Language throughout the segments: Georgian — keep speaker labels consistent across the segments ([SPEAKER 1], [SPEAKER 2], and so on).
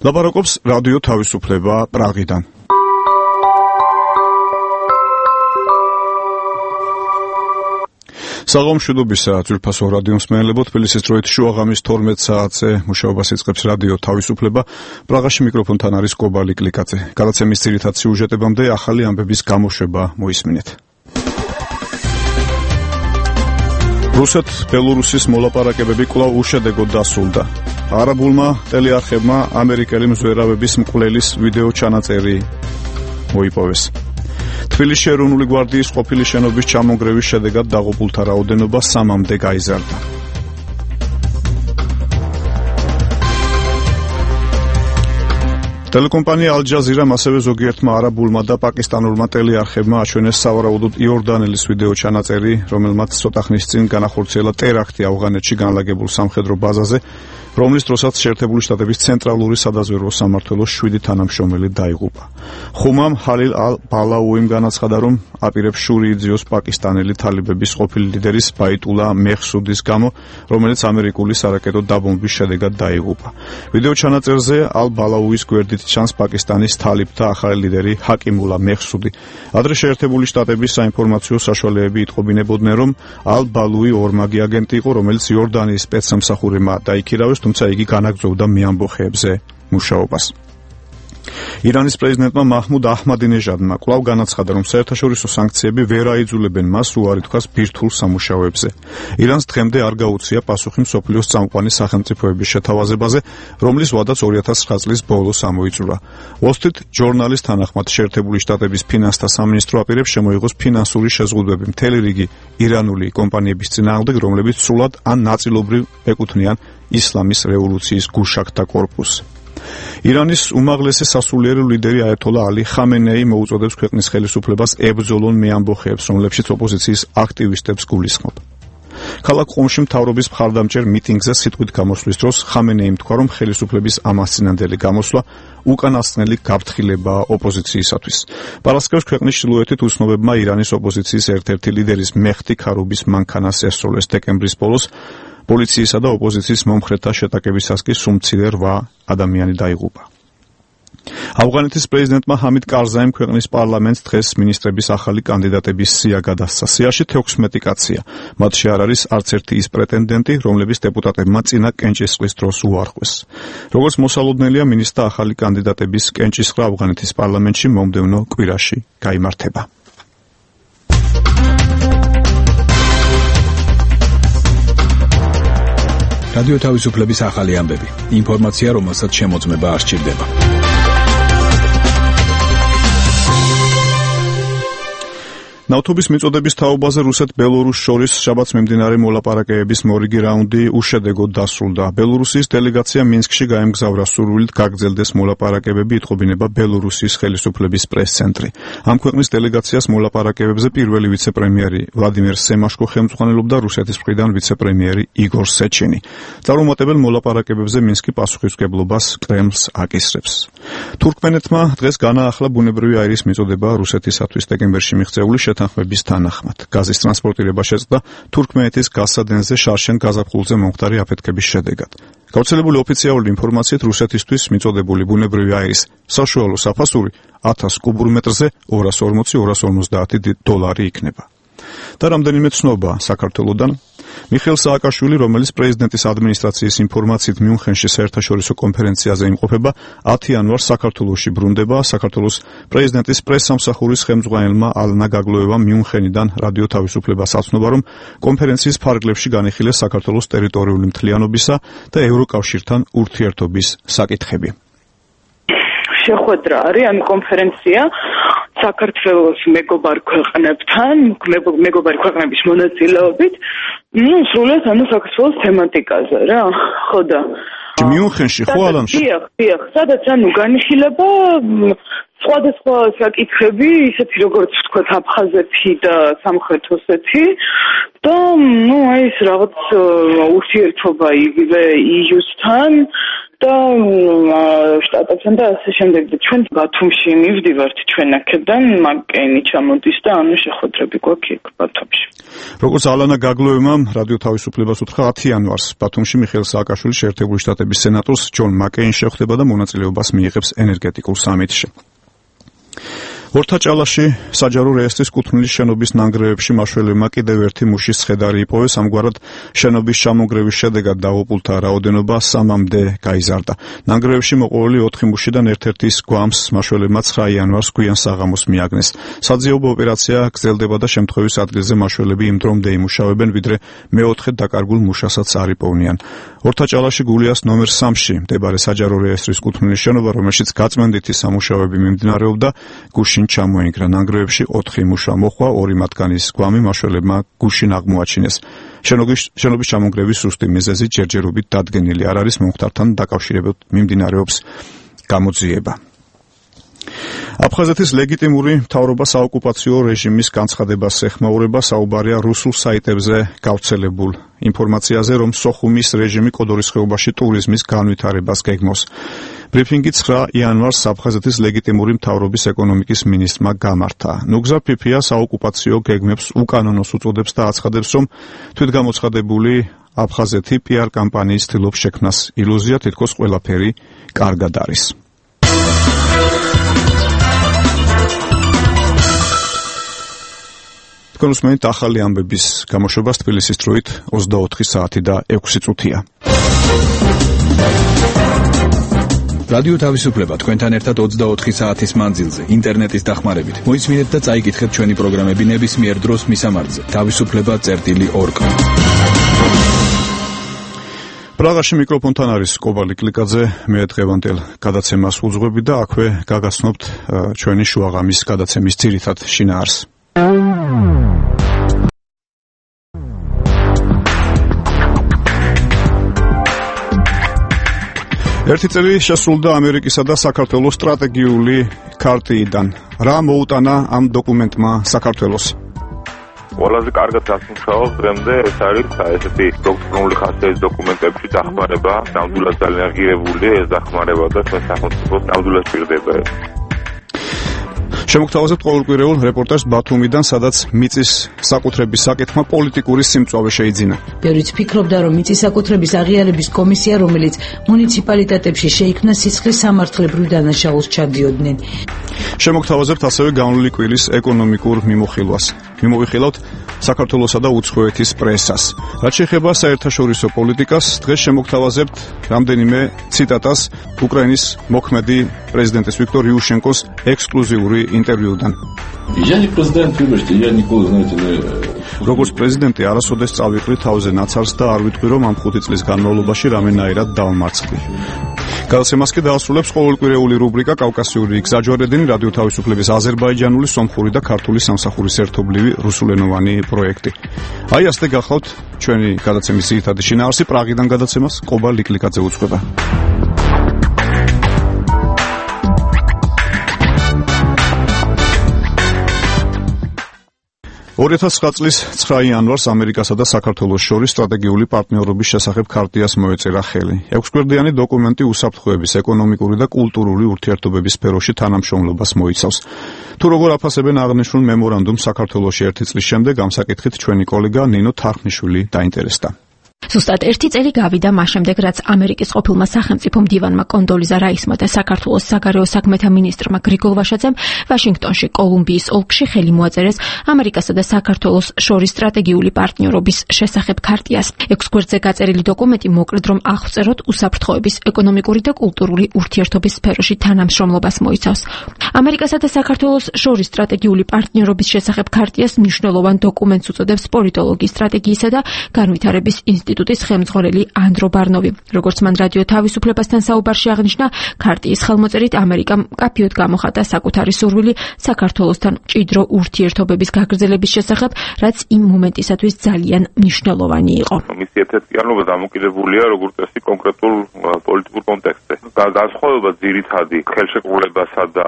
[SPEAKER 1] ლაპარაკობს რადიო თავისუფლება პრაღიდან. საღამოშუდობისა ძვირფასო რადიო მსმენელებო, თბილისის დროით შუა ღამის 12 საათზე მუშაობას იწყებს რადიო თავისუფლება. პრაღაში მიკროფონთან არის კობალი კლიკაძე. გადაცემის ძირითად სიუჟეტებამდე ახალი ამბების გამოშვება მოისმინეთ. რუსეთ-ბელორუსის მოლაპარაკებები კვლავ უშედეგოდ დასრულდა. არაბულმა ტელეარხებმა ამერიკელი მზვერავების მკვლელის ვიდეო ჩანაწერი მოიპოვეს. თბილისში ეროვნული გვარდიის ყოფილი შენობის ჩამონგრევის შედეგად დაღუპულთა რაოდენობა 3-მდე გაიზარდა. ტელეკომპანია ალ-ჯაზირამ ასევე ზოგიერთმა არაბულმა და პაკისტანურმა ტელეარხებმა აჩვენეს სავარაუდოდ იორდანელის ვიდეო ჩანაწერი, რომელმაც ცოტა ხნის წინ განახორციელა ტერაქტი ავღანეთში განლაგებულ სამხედრო ბაზაზე, რომლის დროსაც შეერთებული შტატების ცენტრალური სადაზვერვო სამმართველოს 7 თანამშრომელი დაიღუპა. ხუმამ ჰალილ ალ-ბალაუიმ განაცხადა, რომ აპირებს შური იძიოს პაკისტანელი თალიბების ყოფილი ლიდერის ბაიტულა მეჰსუდის გამო, რომელიც ამერიკული სარაკეტო დაბომბვის შედეგად დაიღუპა. ვიდეო ჩანაწერზე ალ-ბალაუის გვერდით ჩანს პაკისტანის თალიბთა ახალი ლიდერი ჰაკიმულა მეჰსუდი. ადრე შეერთებული შტატების საინფორმაციო საშუალებები იტყობინებოდნენ, რომ ალ-ბალუი ორმაგი აგენტი იყო, რომელიც იორდანიის სპეცსამსახურებმა დაიქირავეს, თუმცა იგი განაგრძობდა მეამბოხეებზე მუშაობას. ირანის პრეზიდენტმა მაჰმუდ აჰმადინეჟადმა კვლავ განაცხადა, რომ საერთაშორისო სანქციები ვერ აიძულებენ მას უარი თქვას ბირთვულ სამუშაოებზე. ირანს დღემდე არ გაუწია პასუხი მსოფლიოს წამყვანი სახელმწიფოების შეთავაზებაზე, რომლის ვადაც 2009 წლის ბოლოს ამოიწურა. Wall Street Journal-ის თანახმად შეერთებული შტატების ფინანსთა სამინისტრო აპირებს შემოიღოს ფინანსური შეზღუდვები მთელი რიგი ირანული კომპანიების წინააღმდეგ, რომლებიც სრულად ან ნაწილობრივ ეკუთვნიან ისლამის რევოლუციის გუშაგთა კორპუსს. ირანის უმაღლესი სასულიერო ლიდერი აიათოლა ალი ხამენეი მოუწოდებს ქვეყნის ხელისუფლებას ებრძოლონ მეამბოხეებს, რომლებშიც ოპოზიციის აქტივისტებს გულისხმობ. ქალაქ ყუმში მთავრობის მხარდამჭერ მიტინგზე სიტყვით გამოსვლის დროს ხამენეიმ თქვა, რომ ხელისუფლების ამასწინებელი გამოსვლა უკანასკნელი გაფრთხილებაა ოპოზიციისათვის. პარასკევს ქვეყნის ჩრდილოეთით უცნობებმა ირანის ოპოზიციის ერთ-ერთი ლიდერის მეჰდი ქარუბის მანქანას ესროლეს დეკემბრის ბოლოს. პოლიციისა და ოპოზიციის მომხრეთა შეტაკებისას კი სულ-მცირე 8 ადამიანი დაიღუპა. ავღანეთის პრეზიდენტმა ჰამიდ კარზაიმ ქვეყნის პარლამენტს დღეს მინისტრების ახალი კანდიდატების სია გადასცა. სიაში 16 კაცია. მათში არ არის არც ერთი ის პრეტენდენტი, რომლების დეპუტატებმა წინა კენჭისყრის დროს უარყვეს. როგორც მოსალოდნელია, მინისტრთა ახალი კანდიდატების კენჭისყრა ავღანეთის პარლამენტში მომდევნო კვირაში გაიმართება.
[SPEAKER 2] რადიო თავისუფლების ახალი ამბები. ინფორმაცია, რომელსაც შემოწმება არ სჭირდება.
[SPEAKER 1] ნავთობის მიწოდების თაობაზე რუსეთ-ბელორუსს შორის შაბათს მიმდინარე მოლაპარაკებების მორიგი რაუნდი უშედეგოდ დასრულდა. ბელორუსიის დელეგაცია მინსკში გაემგზავრა სურვილით გაგრძელდეს მოლაპარაკებები, იტყობინება ბელორუსიის ხელისუფლების პრეს-ცენტრი. ამ ქვეყნის დელეგაციას მოლაპარაკებებზე პირველი ვიცე-პრემიერი ვლადიმერ სემაშკო ხელმძღვანელობდა, რუსეთის მხრიდან ვიცე-პრემიერი იგორ სეჩინი. წარუმატებელ მოლაპარაკებებზე მინსკი პასუხისმგებლობას კრემლს აკისრებს. თურქმენეთმა დღეს განაახლა ბუნებრივი აირის მიწოდება რუსეთისათვის დეკემბერში მიღწეული თანხმების თანახმად. გაზის ტრანსპორტირება შეწყდა თურქმენეთის გაზსადენზე შარშენ გაზაფხულზე მომხდარი აფეთქების შედეგად. გავრცელებული ოფიციალური ინფორმაციით რუსეთისთვის მიწოდებული ბუნებრივი აირის საშუალო საფასური 1000 კუბურ მეტრზე $240-250 იქნება. და რამდენიმე ცნობა საქართველოდან. მიხეილ სააკაშვილი, რომელიც პრეზიდენტის ადმინისტრაციის ინფორმაციით მიუნხენში საერთაშორისო კონფერენციაზე იმყოფება, 10 იანვარს საქართველოში ბრუნდება. საქართველოს პრეზიდენტის პრესსამსახურის ხელმძღვანელმა ალნა გაგლოევამ მიუნხენიდან რადიო თავისუფლებას აცნობა, რომ კონფერენციის ფარგლებში განიხილეს საქართველოს ტერიტორიული მთლიანობისა და ევროკავშირთან ურთიერთობის საკითხები.
[SPEAKER 3] შეხვედრა არის ამ კონფერენცია საქართველოს მეგობარ ქვეყნებთან, მეგობარი ქვეყნების მონაწილეობით, სრულად საქართველოს თემატიკაზე რა, ხო და
[SPEAKER 1] მიუნხენში ხო ალანში?
[SPEAKER 3] დიახ, სადაც განიხილება სხვადასხვა საკითხები, ისეთი როგორც ვთქვათ აფხაზეთი და სამხრეთ ოსეთი და ეს რაღაც ურთიერთობა იგივე EU-სთან და შტატებთან და ასე შემდეგ. ჩვენ ბათუმში მივდივართ ჩვენ აქედან, მაკეინი ჩამოდის და ანუ შეხვედრები გვაქვს იქ ბათუმში.
[SPEAKER 1] როგორც ალანა გაგლოევამ რადიო თავისუფლებას უთხრა 10 იანვარს ბათუმში მიხეილ სააკაშვილი შეერთებული შტატების სენატორს ჯონ მაკეინი შეხვდება და მონაწილეობას მიიღებს ენერგეტიკულ სამიტში. ორთაჭალაში საჯარო რეესტრის კუთვნილის შენობის ნანგრევებში მაშველებმა კიდევ ერთი მუშის ცხედარი იპოვეს, ამგვარად შენობის ჩამონგრევის შედეგად დაღუპულთა რაოდენობა 3-მდე გაიზარდა. ნანგრევებში მოყოლილი 4 მუშიდან ერთ-ერთის გვამს მაშველებმა 9 იანვარს გვიან საღამოს მიაგნეს. საძიებო ოპერაცია გრძელდება და შემთხვევის ადგილზე მაშველები იმ დრომდე იმუშავებენ, ვიდრე მეოთხედ დაკარგულ მუშასაც არ იპოვნიან. ორთაჭალაში გულიას ნომერ 3-ში მდებარე საჯარო რეესტრის კუთვნილის შენობა, რომელშიც გაწმენდითი სამუშაოები მიმდინარეობდა, გუშინ ჩამოინგრა. ნანგრევებში 4 მუშა მოხვა, 2 მათგანის გვამი მაშველებმა გუშინ აღმოაჩინეს. შენობის ჩამონგრევის სუსტი მიზეზი ჯერჯერობით დადგენილი არ არის, მომხდართან დაკავშირებით მიმდინარეობს გამოძიება. აფხაზეთის ლეგიტიმური მთავრობა საოკუპაციო რეჟიმის განცხადებას ეხმაურება, საუბარია რუსულ საიტებზე გავრცელებულ ინფორმაციაზე, რომ სოხუმის რეჟიმი კოდორის ხეობაში ტურიზმის განვითარებას გეგმავს. ბრიფინგი 9 იანვარს აფხაზეთის ლეგიტიმური მთავრობის ეკონომიკის მინისტრმა გამართა. ნუგზა ფიფია საოკუპაციო გეგმებს უკანონოს უწოდებს და აცხადებს, რომ თვითგამოცხადებული აფხაზეთი PR კამპანიის ცდილობს შექმნას. ილუზია თითქოს ყველაფერი კარგად არის. თქვენ უსმენთ ახალი ამბების გამოშვებას თბილისის დროით 24 საათი და 6 წუთია.
[SPEAKER 2] რადიო თავისუფლება თქვენთან ერთად 24 საათის მანძილზე ინტერნეტის დახმარებით. მოისმინეთ და წაიკითხეთ ჩვენი პროგრამები ნებისმიერ დროს მისამართზე თავისუფლება.org. პრაღაში მიკროფონთან არის კობალი კლიკაძე, მე დღევანდელ გადაცემას უძღვები და აქვე გაგაცნობთ ჩვენი შუაღამის გადაცემის ძირითად შინაარსს. ერთი წელი შესრულდა ამერიკისა და საქართველოს სტრატეგიული ქარტიიდან. რა მოუტანა ამ დოკუმენტმა საქართველოს?
[SPEAKER 4] ყველაზე კარგად გასმუშავებს დღემდე ეს არის ესეთი დოქტრინული ხასიათის დოკუმენტებში დახმარება, ნამდვილად ძალიან ღირებული ეს დახმარება და თქვენ სახელმწიფოს ნამდვილად პირდება ეს.
[SPEAKER 1] შემოგთავაზებთ ყოველკვირეულ რეპორტაჟს ბათუმიდან, სადაც მიწის საკუთრების საკითხმა პოლიტიკური სიმწვავე შეიძინა.
[SPEAKER 5] ბევრიც ფიქრობდა, რომ მიწის საკუთრების აღიარების კომისია, რომელიც მუნიციპალიტეტებში შეიქმნა, სისხლის სამართლებრივ დანაშაულს ჩადიოდნენ.
[SPEAKER 1] შემოგთავაზებთ ასევე განვლილი კვილის ეკონომიკურ მიმოხილვას. მიმოვიხილავთ საქართველოსა და უცხოეთის პრესას. რაც შეეხება საერთაშორისო პოლიტიკას, დღეს შემოგთავაზებთ რამდენიმე ციტატას უკრაინის მოქმედი პრეზიდენტის ვიქტორ იუშენკოს ექსკლუზიური ინტერვიუდან. როგორც პრეზიდენტი არასოდეს წავიყრი თავზე ნაცარს და არ ვიტყვი, რომ ამ 5 წლის განმავლობაში რამენაირად დავმარცხდი. გადაცემას კი დაასრულებს ყოველკვირეული რუბრიკა კავკასიური გზაჯვარედინი, რადიო თავისუფლების აზერბაიჯანული, სომხური და ქართული სამსახურის ერთობლივი რუსულენოვანი პროექტი. აი ასე გახლავთ ჩვენი გადაცემის ძირითადი შინაარსი. პრაღიდან გადაცემას კობა ლიკლიკაძე უძღვება. 2009 წლის 9 იანვარს ამერიკასა და საქართველოს შორის სტრატეგიული პარტნიორობის შესახებ ქარტიას მოეწერა ხელი. 6 გვერდიანი დოკუმენტი უსაფრთხოების, ეკონომიკური და კულტურული ურთიერთობების სფეროში თანამშრომლობას მოიცავს. თუ როგორ აფასებენ აღნიშნულ მემორანდუმს საქართველოში 1 წლის შემდეგ, ამ საკითხით ჩვენი კოლეგა ნინო თარხნიშვილი დაინტერესდა.
[SPEAKER 6] ზუსტად 1 წელი გავიდა მას შემდეგ, რაც ამერიკის ყოფილმა სახელმწიფო მდივანმა კონდოლიზა რაისმა და საქართველოს საგარეო საქმეთა მინისტრმა გრიგოლ ვაშაძემ ვაშინგტონში კოლუმბიის ოლქში ხელი მოაწერეს ამერიკასა და საქართველოს შორის სტრატეგიული პარტნიორობის შესახებ ქარტიას. 6 გვერდზე გაწერილი დოკუმენტი მოკლედ რომ აღწეროთ უსაფრთხოების, ეკონომიკური და კულტურული ურთიერთობის სფეროში თანამშრომლობას მოიცავს. ამერიკასა და საქართველოს შორის სტრატეგიული პარტნიორობის შესახებ ქარტიას მნიშვნელოვან დოკუმენტს უწოდებს პოლიტოლოგიის, სტრატეგიისა და განვითარების ინსტიტუტის ხელმძღვანელი ანდრო ბარნოვი. როგორც მან რადიო თავისუფლებასთან საუბარში აღნიშნა, ქარტიის ხელმოწერით ამერიკამ კაფიოდ გამოხატა საკუთარი სურვილი საქართველოსთან მჭიდრო ურთიერთობების გაგრძელების შესახებ, რაც იმ მომენტისათვის ძალიან მნიშვნელოვანი იყო.
[SPEAKER 4] მისი ერთ-ერთი დამოკიდებულია როგორც წესი კონკრეტულ პოლიტიკურ კონტექსტზე. განსხვავება ძირითადი ხელშეკრულებასა და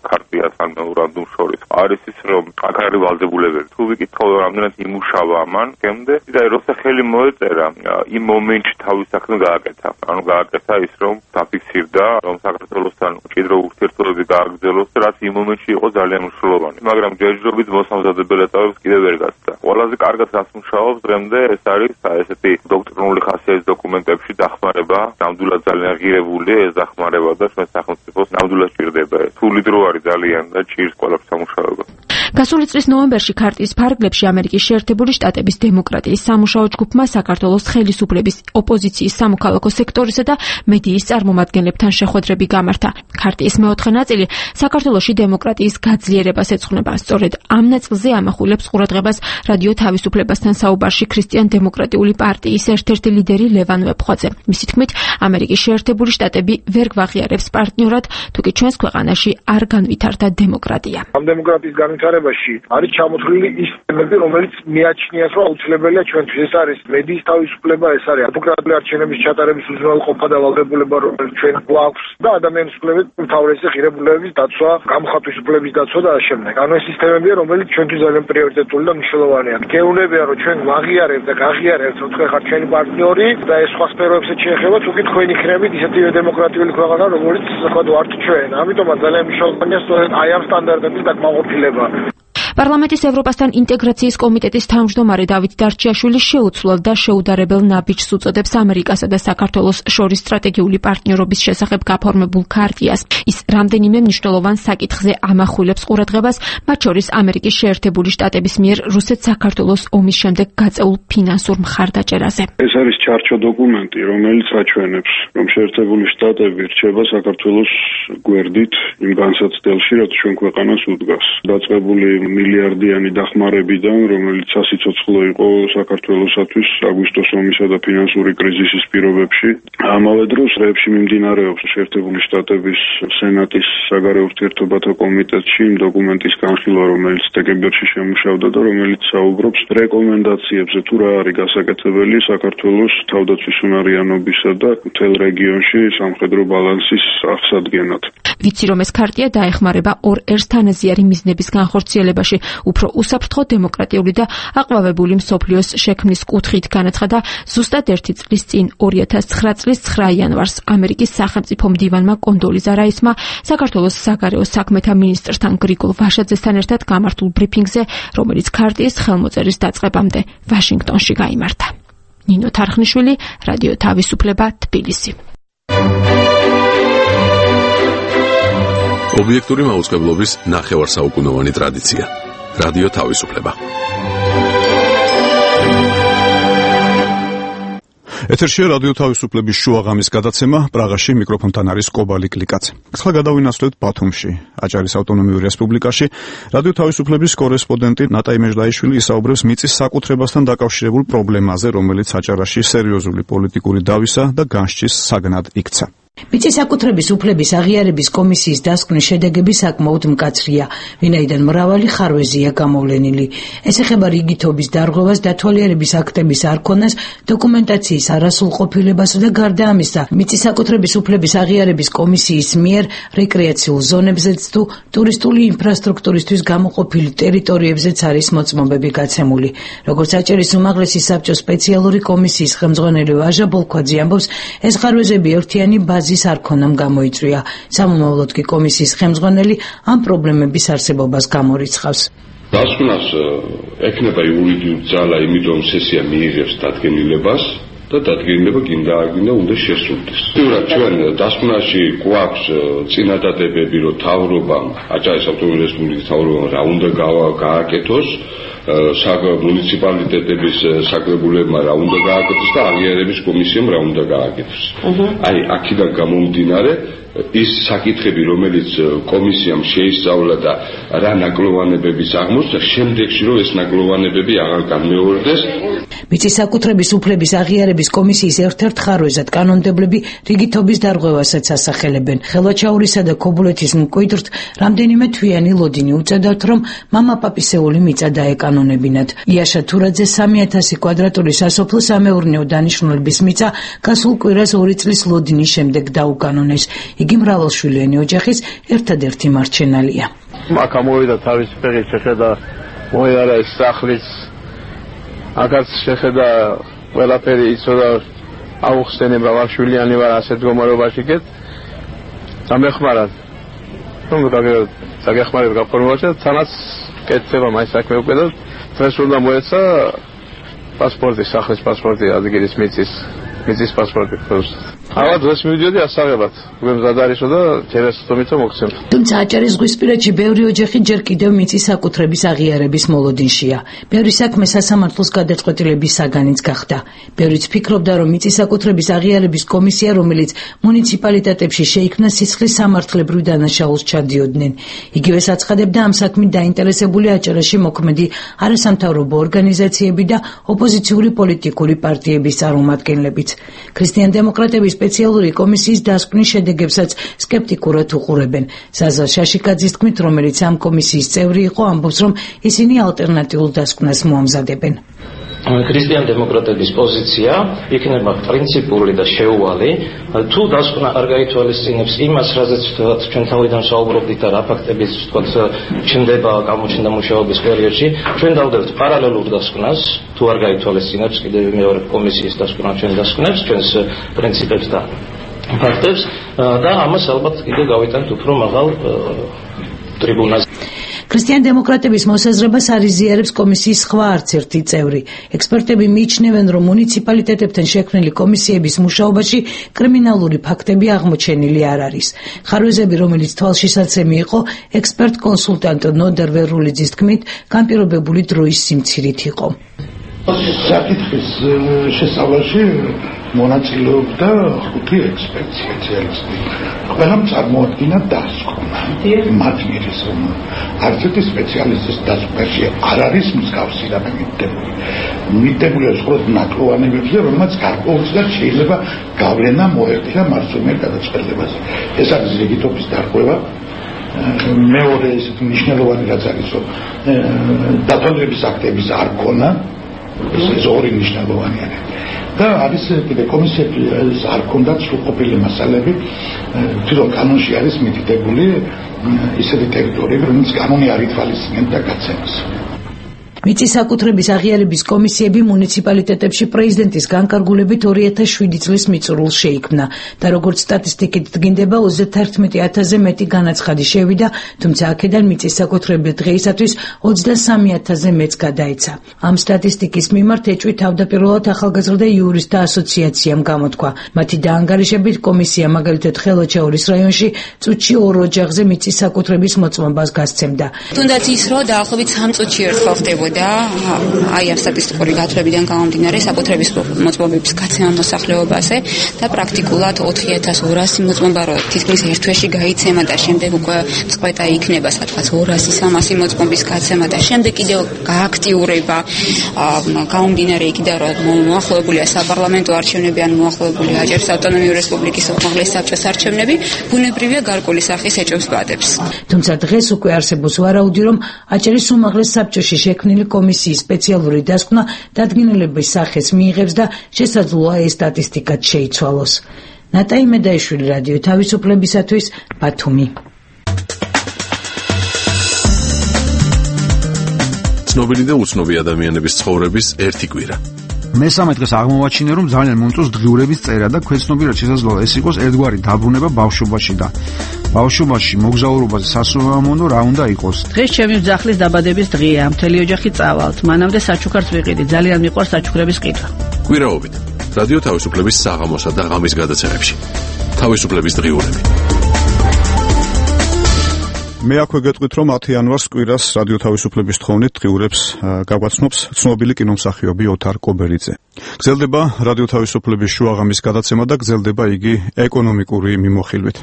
[SPEAKER 4] ქარტიას ან მემორანდუმს შორის არის ის, რომ აქ არის ვალდებულებები. თუ ვიკითხავ რამდენად იმუშავა ამან, გემდე და როცა ხელი მოეწერა მაგრამ იმ მომენტში თავის საქმე გააკეთა. ანუ გააკეთა ის, რომ დაფიქსირდა, რომ საქართველოსთან მჭიდრო ურთიერთობები გააგრძელოს, რაც იმ მომენტში იყო ძალიან მნიშვნელოვანი. მაგრამ ჯერჯერობით მოსამზადებელ ეტაპებს კიდევ ვერ გასცდა. ყველაზე კარგად რაც მუშაობს დღემდე ეს არის ესეთი დოქტრინული ხასიათის დოკუმენტებში დახმარება, ნამდვილად ძალიან ღირებული ეს დახმარება და ჩვენ სახელმწიფოს ნამდვილად ჭირდება. თული დრო არის ძალიან და ჭირს ყველაფერს სამუშაოება.
[SPEAKER 6] გასული წლის ნოემბერში ქარტიის ფარგლებში ამერიკის შეერთებული შტატების დემოკრატიის სამუშაო ჯგუფმა საქართველოს ხელისუფლების ოპოზიციის სამოქალაქო სექტორისა და მედიის წარმომადგენლებთან შეხვედრები გამართა. ქარტიის მეოთხე ნაწილი საქართველოში დემოკრატიის გაძლიერებას ეძღვნება. სწორედ ამ ნაწილზე ამახვილებს ყურადღებას რადიო თავისუფლებასთან საუბარში ქრისტიან-დემოკრატიული პარტიის ერთ-ერთი ლიდერი ლევან ვეფხვაძე. მისი თქმით, ამერიკის შეერთებული შტატები ვერ გვაღიარებს პარტნიორად, თუკი ჩვენს ქვეყანაში არ განვითარდა დემოკრატია.
[SPEAKER 7] ამ დემოკრატიის განვითარებაში არის ჩამოთვლილი ის თემები, რომელიც მიაჩნიათ, რომ აუცილებელია ჩვენთვის. ეს არის მედიის თავისუფლება, ეს არის დემოკრატიული არჩევნების ჩატარების უზრუნველყოფა და ვალდებულება, რომელიც ჩვენ გვაქვს და ადამიანის უფლებების უმთავრესი ღირებულებების დაცვა, გამოხატვის უფლების დაცვა და ამ შემდეგ. ანუ ეს სისტემებია, რომელიც ჩვენთვის ძალიან პრიორიტეტული და მნიშვნელოვანია. გეუბნებიან, რომ ჩვენ ვაღიარებთ და გაღიარებთ, რომ თქვენ ხართ ჩვენი პარტნიორი და ეს სხვა სფეროებსაც შეეხება, თუკი თქვენ იქნებით ისეთივე დემოკრატიული ქვეყანა, როგორც თქვა ვართ ჩვენ. ამიტომაც ძალიან მნიშვნელოვანია სწორედ აი ამ სტანდარტების დაკმაყოფილება.
[SPEAKER 6] პარლამენტის ევროპასთან ინტეგრაციის კომიტეტის თავმჯდომარე დავით დარჩიაშვილი შეუცვლელ და შეუდარებელ ნაბიჯს უწოდებს ამერიკასა და საქართველოს შორის სტრატეგიული პარტნიორობის შესახებ გაფორმებულ ქარტიას. ის რამდენიმე მნიშვნელოვან საკითხზე ამახვილებს ყურადღებას, მათ შორის ამერიკის შეერთებული შტატების მიერ რუსეთ-საქართველოს ომის შემდეგ გაწეულ ფინანსურ მხარდაჭერაზე.
[SPEAKER 8] ეს არის ჩარჩო დოკუმენტი, რომელიც აჩვენებს, რომ შეერთებული შტატები რჩება საქართველოს გვერდით იმ განსაცდელში, რაც ჩვენ ქვეყანას უდგას. დაწყებული მილიარდიანი დახმარებიდან, რომელიც სასიცოცხლო იყო საქართველოსათვის აგვისტოს ომისა და ფინანსური კრიზისის პირობებში. ამავე დროს რებში მიმდინარეობს შეერთებული შტატების სენატის საგარეო ურთიერთობათა კომიტეტში იმ დოკუმენტის განხილვა, რომელიც დეკემბერში შემუშავდა და რომელიც საუბრობს რეკომენდაციებზე, თუ რა არის გასაკეთებელი საქართველოს თავდაცვის უნარიანობისა და მთელ რეგიონში სამხედრო ბალანსის აღსადგენად.
[SPEAKER 6] ვიცი, რომ ეს ქარტია დაეხმარება ორ ერთთანაზიარი მიზნების განხორციელებაში, უფრო უსაფრთხო, დემოკრატიული და აყვავებული მსოფლიოს შექმნის კუთხით განაცხადა ზუსტად 1 წლის წინ 2009 წლის 9 იანვარს ამერიკის სახელმწიფო მდივანმა კონდოლიზა რაისმა საქართველოს საგარეო საქმეთა მინისტრთან გრიგოლ ვაშაძესთან ერთად გამართულ ბრიფინგზე, რომელიც ქარტიის ხელმოწერის დაწყებამდე ვაშინგტონში გაიმართა. ნინო თარხნიშვილი, რადიო თავისუფლება, თბილისი.
[SPEAKER 9] ობიექტური მაუწყებლობის ნახევარსაუკუნოვანი ტრადიცია. რადიო თავისუფლება.
[SPEAKER 1] ეთერშია რადიო თავისუფლების შუაღამის გადაცემა. პრაღაში მიკროფონთან არის კობალი კლიკაც. ახლა გადავინაცვლებთ ბათუმში, აჭარის ავტონომიურ რესპუბლიკაში. რადიო თავისუფლების კორესპონდენტი ნატაი მეჟდაიშვილი ისაუბრებს მიწის საკუთრებასთან დაკავშირებულ პრობლემაზე, რომელიც აჭარაში სერიოზული პოლიტიკური დავისა და განსჯის საგნად იქცა.
[SPEAKER 5] მიწის საკუთრების უფლების აღიარების კომისიის დასკვნის შედეგები საკმაოდ მკაცრია, ვინაიდან მრავალი ხარვეზია გამოვლენილი. ეს ეხება რიგითობის დარღვევას, დათვალიერების აქტების არქონას, დოკუმენტაციის არასრულყოფილებასა და გარდა ამისა, მიწის საკუთრების უფლების აღიარების კომისიის მიერ რეკრეაციულ ზონებზეც თუ ტურისტული ინფრასტრუქტურისთვის გამოყოფილ ტერიტორიებზეც არის მოწმობები გაცემული. როგორც აჭარის უმაღლესი საბჭოს სპეციალური კომისიის ხელმძღვანელი ვაჟა ბოლქვაძე ამბობს, ეს ხარვეზები ერთიანი ბაზის არქონამ გამოიწვია. სამომავლოდ კი კომისიის ხელმძღვანელი ამ პრობლემების არსებობას გამორიცხავს.
[SPEAKER 10] დასკვნას ექნება იურიდიული ძალა, იმიტომ სესია მიიღებს დადგენილებას და დადგენილება გინდა უნდა შესრულდეს. თუმცა ჩვენ დასკვნაში გვაქვს წინადადებები, რომ თავრობამ, აჭარის ავტონომიური რესპუბლიკის თავრობამ რა უნდა გააკეთოს, მუნიციპალიტეტების საკრებულებმა რა უნდა გააკეთოს და აღიარების კომისიამ რა უნდა გააკეთოს. აი, აქედან გამომდინარე, ის საკითხები, რომელიც კომისიამ შეისწავლა და რა ნაკლოვანებების აღმოჩნდა, შემდეგში რომ ეს ნაკლოვანებები აღარ განმეორდეს.
[SPEAKER 5] მიწის საკუთრების უფლების აღიარების კომისიის ერთ-ერთ ხარვეზად კანონმდებლები რიგითობის დარღვევასაც ასახელებენ. ხელვაჩაურისა და ქობულეთის მკვიდრთ რამდენიმე თვიანი ლოდინი უწევდათ, რომ მამაპაპისეული მიწა დაეკანონებინათ. იაშა თურაძე 3000 კვადრატული სასოფლო სამეურნეო დანიშნულების მიწა გასულ კვირას 2 წლის ლოდინის შემდეგ დაუკანონეს. იგი მრავალშვილიანი ოჯახის ერთადერთი მარჩენალია.
[SPEAKER 7] აქ ამოვიდა თავისი ფეხით, შეხედა მოიარა ეს სახლის, აქაც შეხედა
[SPEAKER 11] ყველაფერი იცოდა აუხსენება ვარშვილიანი ვარ ასეთ მდგომარეობაში გეთ სამეხმარად საგეხმარება გაფორმებაში თანაც კეთდება მაინც საქმე უკვე და დღეს უნდა მოეცა პასპორტი სახლის პასპორტი ადგილის მიწის პასპორტი ახლა დღეს მივიდიოდი ასაღებად გვემზად არისო და ჯერესტომითო მოგცემთ
[SPEAKER 5] თუმცა აჭარის ზღვისპირეთში ბევრი ოჯახი ჯერ კიდევ მიწის საკუთრების აღიარების მოლოდინშია ბევრი საქმე სასამართლოს გადაწყვეტილების საგანიც გახდა ბევრიც ფიქრობდა რომ მიწის საკუთრების აღიარების კომისია რომელიც მუნიციპალიტეტებში შეიქმნა სისხლის სამართლებრივ დანაშაულს ჩადიოდნენ იგივე საცხადებდა ამ საქმით დაინტერესებული აჭარაში მოქმედი არასამთავრობო ორგანიზაციები და ოპოზიციური პოლიტიკური პარტიების წარმომადგენლებიც ქრისტიან-დემოკრატების სპეციალური კომისიის დასკვნის შედეგებსაც სკეპტიკურად უყურებენ. ზაზა შაშიკაძის თქმით, რომელიც ამ კომისიის წევრი იყო, ამბობს, რომ ისინი ალტერნატიულ დასკვნას მოამზადებენ.
[SPEAKER 12] ქრისტიან-დემოკრატების პოზიცია იქნება პრინციპული და შეუვალი. თუ დასკვნა არ გაითვალისწინებს იმას, რაზეც ჩვენ თავიდან საუბრობდით და რა ფაქტებიც ჩნდება გამოჩნდა მუშაობის პერიოდში, ჩვენ დავდებთ პარალელურ დასკვნას, თუ არ გაითვალისწინებს კიდევ მეორე კომისიის დასკვნა ჩვენ დასკვნებს, ჩვენს პრინციპებს და ფაქტებს და ამას ალბათ კიდევ გავიტანთ უფრო მაღალ ტრიბუნაზე.
[SPEAKER 5] ქრისტიან-დემოკრატების მოსაზრებას არ იზიარებს კომისიის სხვა არც ერთი წევრი. ექსპერტები მიიჩნევენ, რომ მუნიციპალიტეტებთან შექმნილი კომისიების მუშაობაში კრიმინალური ფაქტები აღმოჩენილი არ არის. ხარვეზები, რომელიც თვალშისაცემი იყო, ექსპერტ-კონსულტანტ ნოდარ ვერულიძის თქმით, განპირობებული დროის სიმცირით იყო.
[SPEAKER 13] საკითხის შესწავლაში მონაწილეობდა 5 ექსპერტი სპეციალისტი. ყველამ წარმოადგინა დასკვნა. მათ მიერ რომ არც ერთი სპეციალისტის დასკვნაში არ არის მსგავსი რამე მითითებული. მითითებულია მხოლოდ ნაკლოვანებებზე, რომელმაც გარკვეულწილად შეიძლება გავლენა მოეხდინა მარცხნივ გადაწყვეტილებაზე. ეს არის ლეგიტობის დარღვევა. მეორე ისეთი მნიშვნელოვანი რაც არის, რომ დათვალიერების აქტების არ ქონა, ეს ორი მნიშვნელოვანი არის. და არის კიდე კომისიების არ ქონდათ სრულყოფილი მასალები, თვითონ კანონში არის მითითებული ისეთი ტერიტორიები, რომელიც კანონი არ ითვალისწინებდა და გაცემს.
[SPEAKER 5] მიწის საკუთრების აღიარების კომისიები მუნიციპალიტეტებში პრეზიდენტის განკარგულებით 2007 წლის მიწურულს შეიქმნა და როგორც სტატისტიკით დგინდება 31,000-ზე მეტი განაცხადი შევიდა, თუმცა აქედან მიწის საკუთრების დღეისათვის 23,000-ზე მეც გადაეცა. ამ სტატისტიკის მიმართ ეჭვი თავდაპირველად ახალგაზრდა იურისტთა ასოციაციამ გამოთქვა. მათი დაანგარიშებით კომისია მაგალითად ხელოჩაურის რაიონში წუთში 2 ოჯახზე მიწის საკუთრების მოწმობას გასცემდა.
[SPEAKER 14] თუნდაც ის რომ დაახლოებით 3 წუთში ერთხელ ხდებოდა და აი ამ სტატისტიკური გათვლებიდან გამომდინარე საკუთრების მოწმობების გაცემა მოსახლეობაზე და პრაქტიკულად 4200 მოწმობა რო თითქმის ერთ თვეში გაიცემა და შემდეგ უკვე წყვეტა იქნება სადღაც 200-300 მოწმობის გაცემა და შემდეგ კიდევ გააქტიურება გამომდინარე იქიდან რომ მოახლოებულია საპარლამენტო არჩევნები ან მოახლოებულია აჭარის ავტონომიური რესპუბლიკის უმაღლესი საბჭოს არჩევნები ბუნებრივია გარკვეული სახის ეჭვს ბადებს.
[SPEAKER 5] თუმცა დღეს უკვე არსებობს ვარაუდი რომ აჭარის უმაღლეს საბჭოში შექმნილი კომისიის სპეციალური დასკვნა დადგენილების სახეს მიიღებს და შესაძლოა ეს სტატისტიკაც შეიცვალოს. ნატაი მედაიშვილი, რადიო თავისუფლებისათვის, ბათუმი.
[SPEAKER 9] ცნობილი და უცნობი ადამიანების ცხოვრების ერთი კვირა.
[SPEAKER 15] მესამე დღეს აღმოვაჩინე, რომ ძალიან მომწონს დღიურების წერა და ქვეცნობიერად შესაძლოა ეს იყოს ერთგვარი დაბრუნება ბავშვობაში და ბავშვობაში მოგზაურობაზე სასურველმონო რა უნდა იყოს.
[SPEAKER 16] დღეს ჩემი ძახლის დაბადების დღეა, მთელი ოჯახი წავალთ. მანამდე საჩუქარს ვიყიდი, ძალიან მიყვარს საჩუქრების ყიდვა.
[SPEAKER 9] კვირაობით რადიო თავისუფლების საღამოსა და ღამის გადაცემებში. თავისუფლების დღიურები.
[SPEAKER 1] მე აქვე გეტყვით, რომ 10 იანვარს კვირას რადიო თავისუფლების თხოვნით დღიურებს გაგვაცნობს ცნობილი კინომსახიობი ოთარ კობერიძე. გრძელდება რადიო თავისუფლების შუაღამის გადაცემა და გრძელდება იგი ეკონომიკური მიმოხილვით.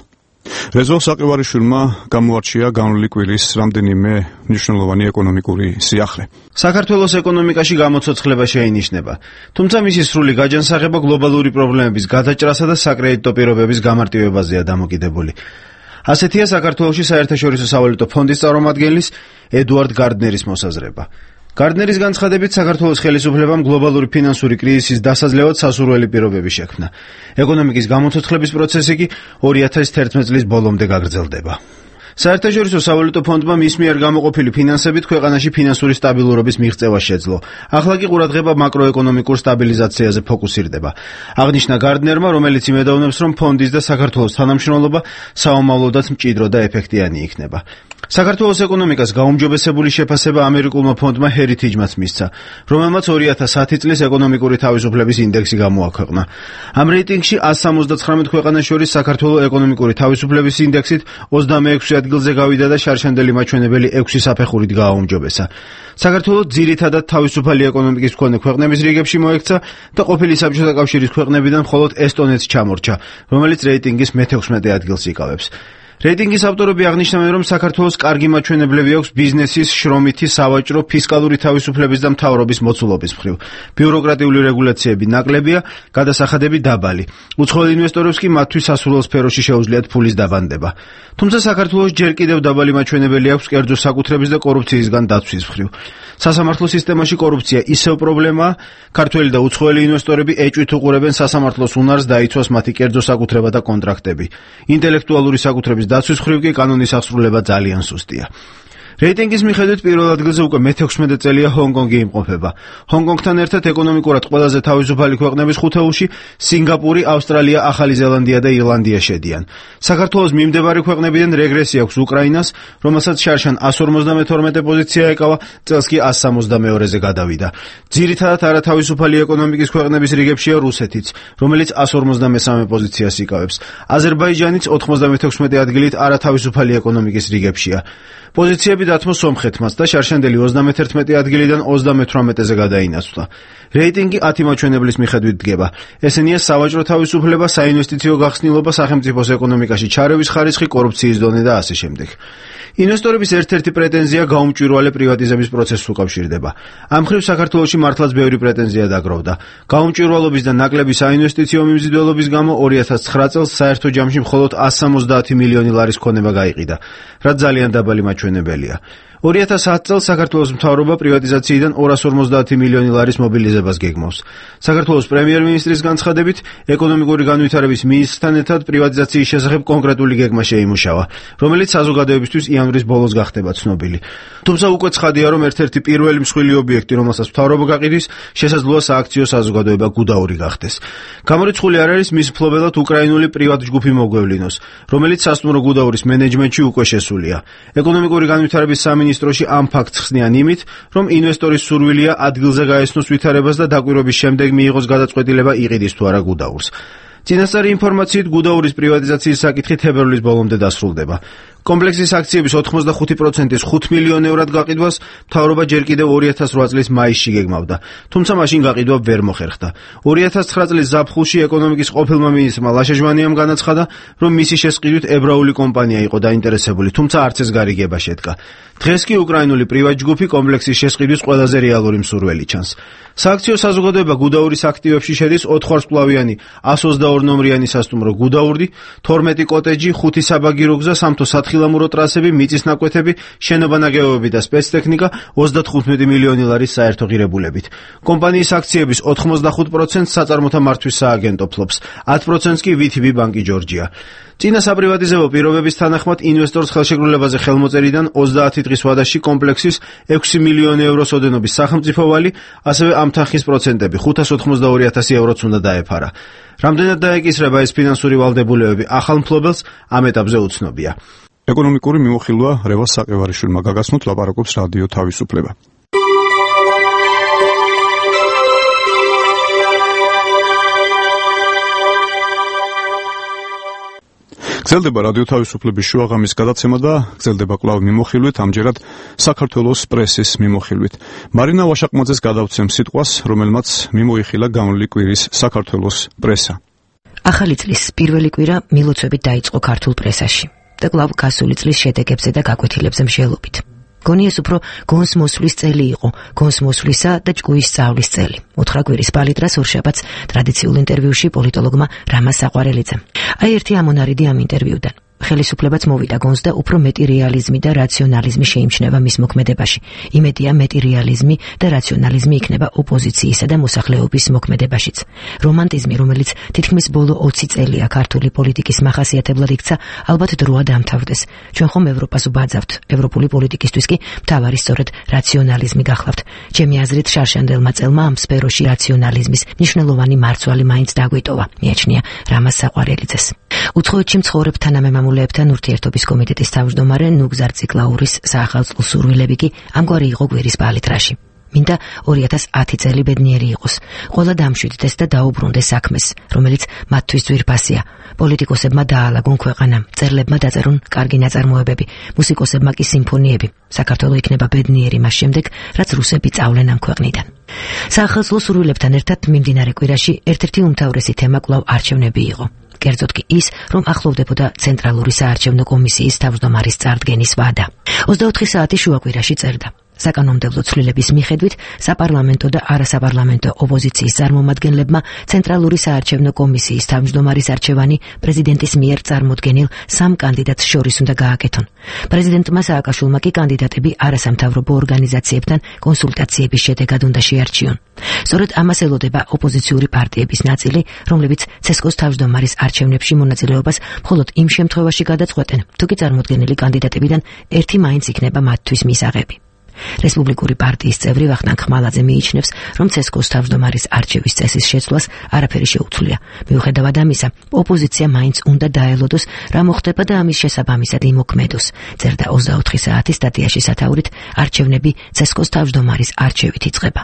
[SPEAKER 1] რეზო საყივარიშვილმა გამოარჩია განვლილი კვირის რამდენიმე მნიშვნელოვანი ეკონომიკური სიახლე.
[SPEAKER 17] საქართველოს ეკონომიკაში გამოცოცხლება შეინიშნება, თუმცა მისი სრული გაჯანსაღება გლობალური პრობლემების გადაჭრასა და საკრედიტო პირობების გამარტივებაზეა დამოკიდებული. ასეთია საქართველოში საერთაშორისო სავალუტო ფონდის წარმომადგენლის ედუარდ გარდნერის მოსაზრება. გარდნერის განცხადებით საქართველოს ხელისუფლებამ გლობალური ფინანსური კრიზისის დასაძლევად სასურველი პირობები შექმნა. ეკონომიკის გამოცოცხლების პროცესი კი 2011 წლის ბოლომდე გაგრძელდება. საერთაშორისო სავალუტო ფონდმა მის მიერ გამოყოფილი ფინანსებით ქვეყანაში ფინანსური სტაბილურობის მიღწევა შეძლო. ახლა კი ყურადღება მაკროეკონომიკურ სტაბილიზაციაზე ფოკუსირდება. აღნიშნა გარდნერმა, რომელიც იმედოვნებს, რომ ფონდის და საქართველოს თანამშრომლობა საომავლოდაც მჭიდრო და ეფექტიანი იქნება. საქართველოს ეკონომიკას გაუმჯობესებული შეფასება ამერიკულმა ფონდმა Heritage-მაც მისცა, რომელმაც 2010 წლის ეკონომიკური თავისუფლების ინდექსი გამოაქვეყნა. ამ რეიტინგში 179 ქვეყანას შორის საქართველოს ეკონომიკური თავისუფლების ინდექსით 26 ადგილზე გავიდა და შარშანდელი მაჩვენებელი 6 საფეხურით გააუმჯობესა. საქართველოს ძირითადად თავისუფალი ეკონომიკის მქონე ქვეყნების რიგებში მოექცა და ყოფილი საბჭოთა კავშირის ქვეყნებიდან მხოლოდ ესტონეთს ჩამორჩა, რომელიც რეიტინგის მე-16 ადგილს იკავებს. რეიტინგის ავტორები აღნიშნავენ, რომ საქართველოს კარგი მაჩვენებლები აქვს ბიზნესის, შრომითი, სავაჭრო, ფისკალური თავისუფლების და მთავრობის მოცულობის მხრივ. ბიუროკრატიული რეგულაციები ნაკლებია, გადასახადები დაბალი. უცხოელ ინვესტორებს კი მათთვის სასურველ სფეროში შეუძლიათ ფულის დაბანდება. თუმცა საქართველოს ჯერ კიდევ დაბალი მაჩვენებელი აქვს კერძო საკუთრების და კორუფციისგან დაცვის მხრივ. სასამართლო სისტემაში კორუფცია ისევ პრობლემაა, ქართველი და უცხოელი ინვესტორები ეჭვით უყურებენ სასამართლოს უნარს დაიცვას მათი კერძო საკუთრება და კონტრაქტები. ინტელექტუალური საკუთრების დაცვის მხრივ კი კანონის აღსრულება ძალიან სუსტია. რეიტინგის მიხედვით პირველ ადგილზე უკვე მე-16 წელია ჰონგ-კონგი იმყოფება. ჰონგ-კონგთან ერთად ეკონომიკურად ყველაზე თავისუფალი ქვეყნების ხუთეულში სინგაპური, ავსტრალია, ახალი ზელანდია და ირლანდია შედიან. საქართველოს მიმდებარე ქვეყნებიდან რეგრესი აქვს უკრაინას, რომელსაც შარშან 152 პოზიცია ეკავა, წელს კი 162-ზე გადავიდა. ძირითადად არათავისუფალი ეკონომიკის ქვეყნების რიგებშია რუსეთიც, რომელიც 153 პოზიციას იკავებს. აზერბაიჯანიც 96 ადგილით არათავისუფალი ეკონომიკის რიგებშია. პოზიციები დათმო სომხეთმაც და შარშანდელი 31 ადგილიდან 38-ზე გადაინაცვლა. რეიტინგი 10 მაჩვენებლის მიხედვით დგება. ესენია სავაჭრო თავისუფლება, საინვესტიციო გახსნილობა, სახელმწიფოს ეკონომიკაში ჩარევის ხარისხი, კორუფციის დონე და ასე შემდეგ. ინვესტორების ერთ-ერთი პრეტენზია გაუმჭვირვალე პრივატიზების პროცესს უკავშირდება. ამ მხრივ საქართველოში მართლაც ბევრი პრეტენზია დაგროვდა. გაუმჭვირვალობის და ნაკლები საინვესტიციო მიმზიდველობის გამო 2009 წელს საერთო ჯამში მხოლოდ 170 მილიონი ლარის ქონება გაიყიდა, რაც ძალიან დაბალი მაჩვენებელია. 2010 წელს საქართველოს მთავრობა პრივატიზაციიდან 250 მილიონი ლარის მობილიზებას გეგმავს. საქართველოს პრემიერ-მინისტრის განცხადებით, ეკონომიკური განვითარების მინისტრთან ერთად პრივატიზაციის შესახებ კონკრეტული გეგმა შეიმუშავა, რომელიც საზოგადოებისთვის იანვრის ბოლოს გახდება ცნობილი. თუმცა უკვე ცხადია, რომ ერთ-ერთი პირველი მსხვილი ობიექტი, რომელსაც მთავრობა გაყიდვის, შესაძლოა სააქციო საზოგადოება გუდაური გახდეს. გამორიცხული არ არის მის მფლობელად უკრაინული პრივატ ჯგუფი მოგვევლინოს, რომელიც სასტუმრო გუდაურის მენეჯმენტში უკვე შესულია. ეკონომიკური განვითარების სამინისტროში ამ ფაქტს ხსნიან იმით, რომ ინვესტორის სურვილია ადგილზე გაესნოს ვითარებას და დაკვირვების შემდეგ მიიღოს გადაწყვეტილება იყიდის თუ არა გუდაურს. წინასწარი ინფორმაციით გუდაურის პრივატიზაციის საკითხი თებერვლის ბოლომდე დასრულდება. კომპლექსის აქციების 85%-ის 5 მილიონ ევრად გაყიდვას მთავრობა ჯერ კიდევ 2008 წლის მაისში გეგმავდა, თუმცა მაშინ გაყიდვა ვერ მოხერხდა. 2009 წლის ზაფხულში ეკონომიკის ყოფილმა მინისტრმა ლაშაჟვანიამ განაცხადა, რომ მისი შესყიდვით ებრაული კომპანია იყო დაინტერესებული, თუმცა არც ეს გარიგება შედგა. დღეს კი უკრაინული პრივატ ჯგუფი კომპლექსის შესყიდვის ყველაზე რეალური მსურველი ჩანს. სააქციო საზოგადოება გუდაურის აქტივებში შედის 4 ვარსკვლავიანი 122 ნომრიანი სასტუმრო გუდაური, 12 კოტეჯი, 5 საბაგირო გზა, სამთო სათხილამურო ტრასები, მიწის ნაკვეთები, შენობა-ნაგებობები და სპეცტექნიკა 35 მილიონი ლარის საერთო ღირებულებით. კომპანიის აქციების 85% საწარმოთა მართვის სააგენტო ფლობს, 10%-ს კი VTB ბანკი ჯორჯია. წინა საპრივატიზებო პირობების თანახმად ინვესტორს ხელშეკრულებაზე ხელმოწერიდან 30 დღის ვადაში კომპლექსის 6 მილიონი ევროს ოდენობის სახელმწიფო ვალი, ასევე ამ თანხის პროცენტები 582,000 ევროც უნდა დაეფარა. რამდენად დაეკისრება ეს ფინანსური ვალდებულებები ახალ მფლობელს, ამ ეტაპზე უცნობია.
[SPEAKER 1] ეკონომიკური მიმოხილვა რევას საყევარიშვილმა გაგაცნოთ, ლაპარაკობს რადიო თავისუფლება. გრძელდება რადიო თავისუფლების შუაღამის გადაცემა და გრძელდება კვლავ მიმოხილვით, ამჯერად საქართველოს პრესის მიმოხილვით. მარინა ვაშაკმაძეს გადავცემ სიტყვას, რომელმაც მიმოიხილა გამოვლილი კვირის საქართველოს პრესა.
[SPEAKER 18] ახალი წლის პირველი კვირა მილოცვებით დაიწყო ქართულ პრესაში და კვლავ გასული წლის შედეგებზე და გაკვეთილებზე მსჯელობით. გონი ეს უფრო გონს მოსვლის წელი იყო, გონს მოსვლისა და ჭკუის სწავლის წელი. 4 კვირის პალიტრას ორშაბათს ტრადიციულ ინტერვიუში პოლიტოლოგმა რამა საყვარელიძემ. აი ერთი ამონარიდი ამ ინტერვიუდან. ხელისუფლებაც მოვიდა გონს და უფრო მეტი რეალიზმი და რაციონალიზმი შეიმჩნევა მის მოქმედებაში. იმედია მეტი რეალიზმი და რაციონალიზმი იქნება ოპოზიციისა და მოსახლეობის მოქმედებაშიც. რომანტიზმი, რომელიც თითქმის ბოლო 20 წელია ქართული პოლიტიკის მახასიათებლად იქცა, ალბათ დროა დამთავრდეს. ჩვენ ხომ ევროპას ვბაძავთ, ევროპული პოლიტიკისთვის კი მთავარი სწორედ რაციონალიზმი გახლავთ. ჩემი აზრით, შარშანდელმა წელმა ამ სფეროში რაციონალიზმის მნიშვნელოვანი მარცვალი მაინც დაგვიტოვა, მიაჩნია რამაზ საყვარელიძეს. უცხოეთში მცხოვრებ თანამემამულეებთან ურთიერთობის კომიტეტის თავმჯდომარე ნუგზარ ციკლაურის საახალწლო სურვილები კი ამგვარი იყო გვერის პალიტრაში. მინდა 2010 წელი ბედნიერი იყოს. ყველა დამშვიდდეს და დაუბრუნდეს საქმეს, რომელიც მათთვის ძვირფასია. პოლიტიკოსებმა დაალაგონ ქვეყანა, მწერლებმა დაწერონ კარგი ნაწარმოებები, მუსიკოსებმა კი სიმფონიები. საქართველო იქნება ბედნიერი მას შემდეგ, რაც რუსები წავლენ ამ ქვეყნიდან. საახალწლო სურვილებთან ერთად მიმდინარე კვირაში ერთ-ერთი უმთავრესი თემა კვლავ არჩევნები იყო. კერძოდ კი ის, რომ ახლოვდებოდა ცენტრალური საარჩევნო კომისიის თავმჯდომარის წარდგენის ვადა. 24 საათი შუაკვირაში წერდა. საკანონმდებლო ცვლილების მიხედვით საპარლამენტო და არასაპარლამენტო ოპოზიციის წარმომადგენლებმა ცენტრალური საარჩევნო კომისიის თავმჯდომარის არჩევანი პრეზიდენტის მიერ წარმოდგენილ 3 კანდიდატს შორის უნდა გააკეთონ. პრეზიდენტმა სააკაშვილმა კი კანდიდატები არასამთავრობო ორგანიზაციებთან კონსულტაციების შედეგად უნდა შეარჩიონ. სწორედ ამას ელოდება ოპოზიციური პარტიების ნაწილი, რომლებიც ცესკოს თავმჯდომარის არჩევნებში მონაწილეობას მხოლოდ იმ შემთხვევაში გადაწყვეტენ, თუ კი წარმოდგენილი კანდიდატებიდან ერთი მაინც იქნება მათთვის მისაღები. რესპუბლიკური პარტიის წევრი ვახტანგ ხმალაძე მიიჩნევს, რომ ცესკოს თავმჯდომარის არჩევის წესის შეცვლას არაფერი შეუცვლია. მიუხედავად ამისა, ოპოზიცია მაინც უნდა დაელოდოს, რა მოხდება და ამის შესაბამისად იმოქმედოს. წერდა 24 საათის სტატიაში სათაურით, არჩევნები ცესკოს თავმჯდომარის არჩევით იწყება.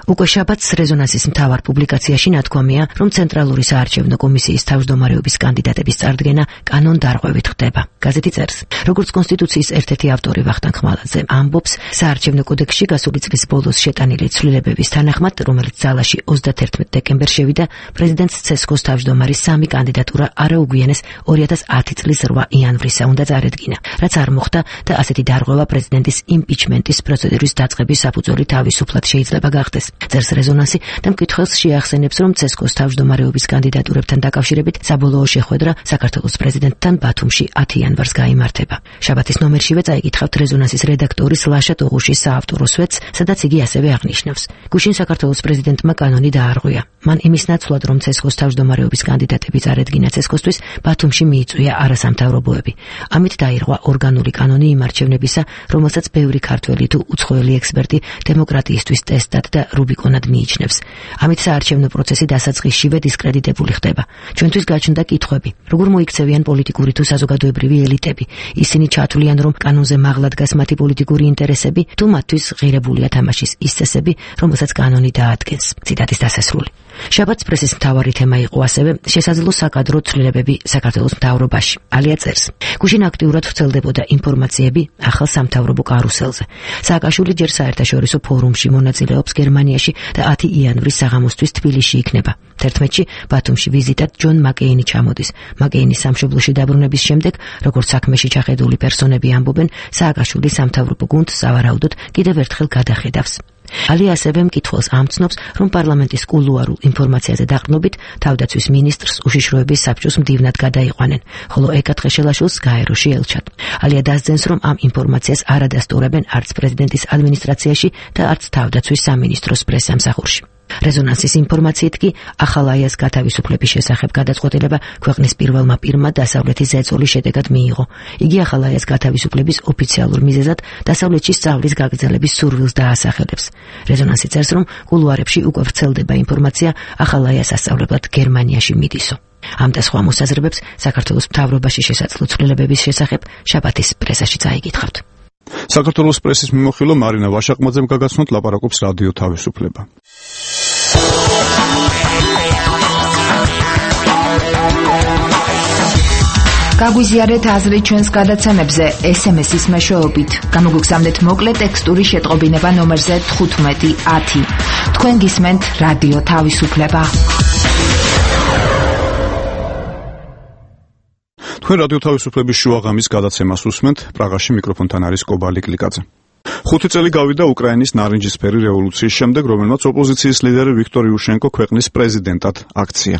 [SPEAKER 18] უკვე შაბათს რეზონანსის მთავარ პუბლიკაციაში ნათქვამია, რომ ცენტრალური საარჩევნო კომისიის თავმჯდომარეობის კანდიდატების წარდგენა კანონდარღვევით ხდება. გაზეთი წერს, როგორც კონსტიტუციის ერთ-ერთი ავტორი ვახტანგ ხმალაძე ამბობს, საარჩევნო კოდექსში გასული წლის ბოლოს შეტანილი ცვლილებების თანახმად, რომელიც ძალაში 31 დეკემბერს შევიდა, პრეზიდენტს ცესკოს თავმჯდომარის 3 კანდიდატურა არაუგვიანეს 2010 წლის 8 იანვრისა უნდა წარედგინა, რაც არ მოხდა და ასეთი დარღვევა პრეზიდენტის იმპიჩმენტის პროცედურის დაწყების საფუძველი თავისუფლად შეიძლება გახდეს. წერს რეზონანსი და მკითხველს შეახსენებს, რომ ცესკოს თავმჯდომარეობის კანდიდატურებთან დაკავშირებით საბოლოო შეხვედრა საქართველოს პრეზიდენტთან ბათუმში 10 იანვარს გაიმართება. შაბათის ნომერშივე წაიკითხავთ რეზონანსის რედაქტორის ლაშა ტოღუშის საავტორო სვეტს, სადაც იგი ასევე აღნიშნავს. გუშინ საქართველოს პრეზიდენტმა კანონი დაარღვია. მან იმის ნაცვლად, რომ ცესკოს თავმჯდომარეობის კანდიდატები წარედგინა ცესკოსთვის, ბათუმში მიიწვია არასამთავრობოები. ამით დაირღვა ორგანული კანონი იმ არჩევნებისა, რომელსაც ბევრი ქართველი თუ უცხოელი ექსპერტი დემოკრატიისთვის ტესტად და რუბიკონად მიიჩნევს. ამით საარჩევნო პროცესი დასაწყისშივე დისკრედიტებული ხდება. ჩვენთვის გაჩნდა კითხვები: როგორ მოიქცევიან პოლიტიკური თუ საზოგადოებრივი ელიტები? ისინი ჩათვლიან, რომ კანონზე მაღლა დგას მათი პოლიტიკური ინტერესები, თუ მათთვის ღირებულია თამაშის ის წესები, რომელსაც კანონი დაადგენს. ციტატის დასასრული. შაბათს პრესის მთავარი თემა იყო ასევე შესაძლო საკადრო ცვლილებები საქართველოს მთავრობაში. ალია წერს, გუშინ აქტიურად ვრცელდებოდა ინფორმაციები ახალ სამთავრობო კარუსელზე. სააკაშვილი ჯერ საერთაშორისო ფორუმში მონაწილეობს გერმანიაში და 10 იანვრის საღამოსთვის თბილისში იქნება. 11-ში ბათუმში ვიზიტად ჯონ მაკეინი ჩამოდის. მაკეინის სამშობლოში დაბრუნების შემდეგ, როგორც საქმეში ჩახედული პერსონები ამბობენ, სააკაშვილი სამთავრობო გუნდს სავარაუდოდ კიდევ ერთხელ გადახედავს. ალია ასევე მკითხველს ამცნობს, რომ პარლამენტის კულუარულ ინფორმაციაზე დაყრდნობით თავდაცვის მინისტრს უშიშროების საბჭოს მდივნად გადაიყვანენ, ხოლო ეკა თხეშელაშვილს გაეროში ელჩად. ალია დასძენს, რომ ამ ინფორმაციას არ ადასტურებენ არც პრეზიდენტის ადმინისტრაციაში და არც თავდაცვის სამინისტროს პრესსამსახურში. რეზონანსის ინფორმაციით კი ახალაიას გათავისუფლების შესახებ გადაწყვეტილება ქვეყნის პირველმა პირმა დასავლეთის ზეწოლის შედეგად მიიღო. იგი ახალაიას გათავისუფლების ოფიციალურ მიზეზად დასავლეთში სწავლის გაგრძელების სურვილს დაასახელებს. რეზონანსი წერს, რომ კულუარებში უკვე ვრცელდება ინფორმაცია ახალაიას ასწავლებლად გერმანიაში მიდისო. ამ და სხვა მოსაზრებებს საქართველოს მთავრობაში შესაძლო ცვლილებების შესახებ შაბათის პრესაში წაიკითხავთ.
[SPEAKER 1] საქართველოს პრესის მიმოხილვა მარინა ვაშაყმაძემ გაგაცნოთ, ლაპარაკობს რადიო თავისუფლება.
[SPEAKER 19] გაგვიზიარეთ აზრი ჩვენს გადაცემებზე SMS-ის მეშვეობით. გამოგგზავნეთ მოკლე ტექსტური შეტყობინება ნომერზე 1510. თქვენ გისმენთ რადიო თავისუფლება.
[SPEAKER 1] თქვენ რადიო თავისუფლების შუაღამის გადაცემას უსმენთ. პრაღაში მიკროფონთან არის კობალი კლიკაძე. 5 წელი გავიდა უკრაინის ნარინჯისფერი რევოლუციის შემდეგ, რომელმაც ოპოზიციის ლიდერი ვიქტორ იუშენკო ქვეყნის პრეზიდენტად აქცია.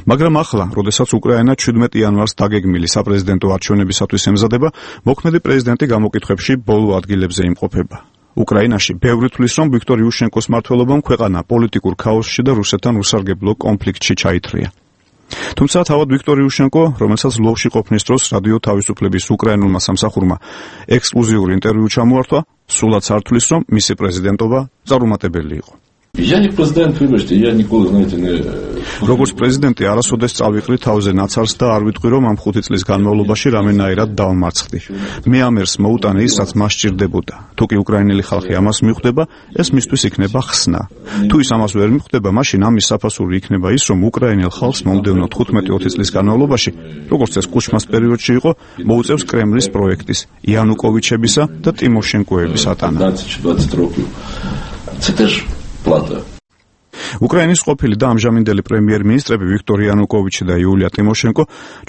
[SPEAKER 1] მაგრამ ახლა, როდესაც უკრაინა 17 იანვარს დაგეგმილი საპრეზიდენტო არჩევნებისათვის ემზადება, მოქმედი პრეზიდენტი გამოკითხვებში ბოლო ადგილებზე იმყოფება. უკრაინაში ბევრი თვლის, რომ ვიქტორ იუშენკოს მმართველობამ ქვეყანა პოლიტიკურ ქაოსში და რუსეთთან უსარგებლო კონფლიქტში ჩაითრია. თუმცა თავად ვიქტორ იუშენკო, რომელსაც ლვოვში ყოფნის დროს რადიო თავისუფლების უკრაინულმა სამსახურმა ექსკლუზიური ინტერვიუ ჩამოართვა, სულაც არ თვლის, რომ მისი პრეზიდენტობა წარუმატებელი იყო.
[SPEAKER 20] Я не президент, вибачте, я ніколи, знаєте, не...
[SPEAKER 1] როგორც პრეზიდენტი არასოდეს წავიყრი თავზე ნაცარს და არ ვიტყვი, რომ ამ 5 წლის განმავლობაში რამენაირად დავმარცხდი. მე ამ ერს მოუტანე ის, რაც მას სჭირდებოდა. თუ კი უკრაინელი ხალხი ამას მიხვდება, ეს მისთვის იქნება ხსნა. თუ ის ამას ვერ მიხვდება, მაშინ ამის საფასური იქნება ის, რომ უკრაინელ ხალხს მომდევნო 15-20 წლის განმავლობაში, როგორც ეს კუჩმას პერიოდში იყო, მოუწევს კრემლის პროექტის, იანუკოვიჩებისა და ტიმოშენკოების ატანა. უკრაინის ყოფილი და ამჟამინდელი პრემიერ-მინისტრები ვიქტორ იანუკოვიჩი და იულია ტიმოშენკო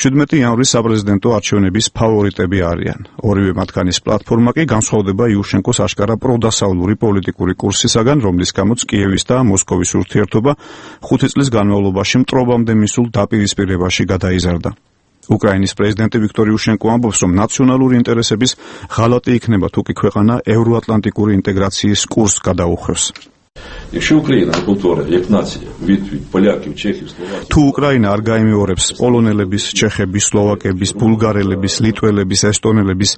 [SPEAKER 1] 17 იანვრის საპრეზიდენტო არჩევნების ფავორიტები არიან. ორივე მათგანის პლატფორმა კი განსხვავდება იუშენკოს აშკარა პროდასავლური პოლიტიკური კურსისაგან, რომლის გამოც კიევის და მოსკოვის ურთიერთობა 5 წლის განმავლობაში მტრობამდე მისულ დაპირისპირებაში გადაიზარდა. უკრაინის პრეზიდენტი ვიქტორ იუშენკო ამბობს, რომ ნაციონალური ინტერესების ღალატი იქნება, თუ კი ქვეყანა ევროატლანტიკური ინტეგრაციის კურსს გადაუხვევს. თუ უკრაინა არ გაიმეორებს პოლონელების, ჩეხების, სლოვაკების, ბულგარელების, ლიტველების, ესტონელების,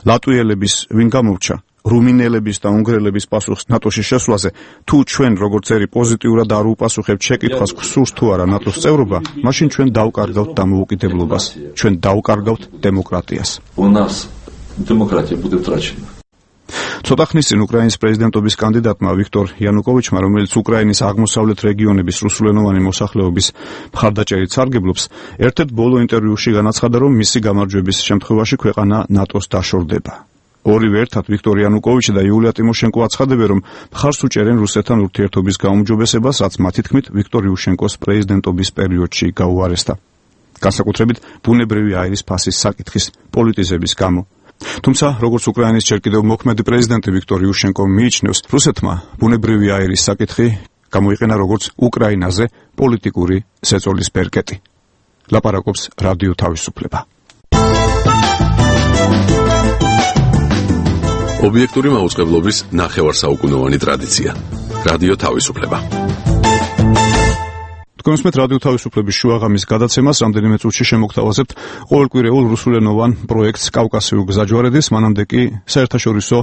[SPEAKER 1] ლატვიელების, ვინ გამორჩა, რუმინელების და უნგრელების პასუხს ნატოში შესვლაზე, თუ ჩვენ როგორც ერი პოზიტიურად არ უპასუხებთ შეკითხვას, გსურს თუ არა ნატოს წევრობა, მაშინ ჩვენ დავკარგავთ დამოუკიდებლობას, ჩვენ დავკარგავთ დემოკრატიას. ცოტა ხნის წინ უკრაინის პრეზიდენტობის კანდიდატმა ვიქტორ იანუკოვიჩმა, რომელიც უკრაინის აღმოსავლეთ რეგიონების რუსულენოვანი მოსახლეობის მხარდაჭერით სარგებლობს, ერთ-ერთ ბოლო ინტერვიუში განაცხადა, რომ მისი გამარჯვების შემთხვევაში ქვეყანა ნატოს დაშორდება. ორივე ერთად ვიქტორ იანუკოვიჩი და იულია ტიმოშენკო აცხადებენ, რომ მხარს უჭერენ რუსეთთან ურთიერთობის გაუმჯობესებას, რაც მათი თქმით ვიქტორ იუშენკოს პრეზიდენტობის პერიოდში გაუარესდა. განსაკუთრებით ბუნებრივი აირის ფასის საკითხის პოლიტიზების გამო. თუმცა, როგორც უკრაინის ჯერ კიდევ მოქმედი პრეზიდენტი ვიქტორ იუშენკო მიიჩნევს, რუსეთმა ბუნებრივი აირის საკითხი გამოიყენა როგორც უკრაინაზე პოლიტიკური ზეწოლის ბერკეტი. ლაპარაკობს რადიო თავისუფლება.
[SPEAKER 9] ობიექტური მაუწყებლობის ნახევარსაუკუნოვანი ტრადიცია. რადიო თავისუფლება. თქვენსმეთ რადიო თავისუფლების შუაღამის გადაცემას რამდენიმე წუთში შემოგთავაზებთ ყოველკვირეულ რუსულენოვან პროექტს კავკასიურ გზაჯვარედის, მანამდე კი საერთაშორისო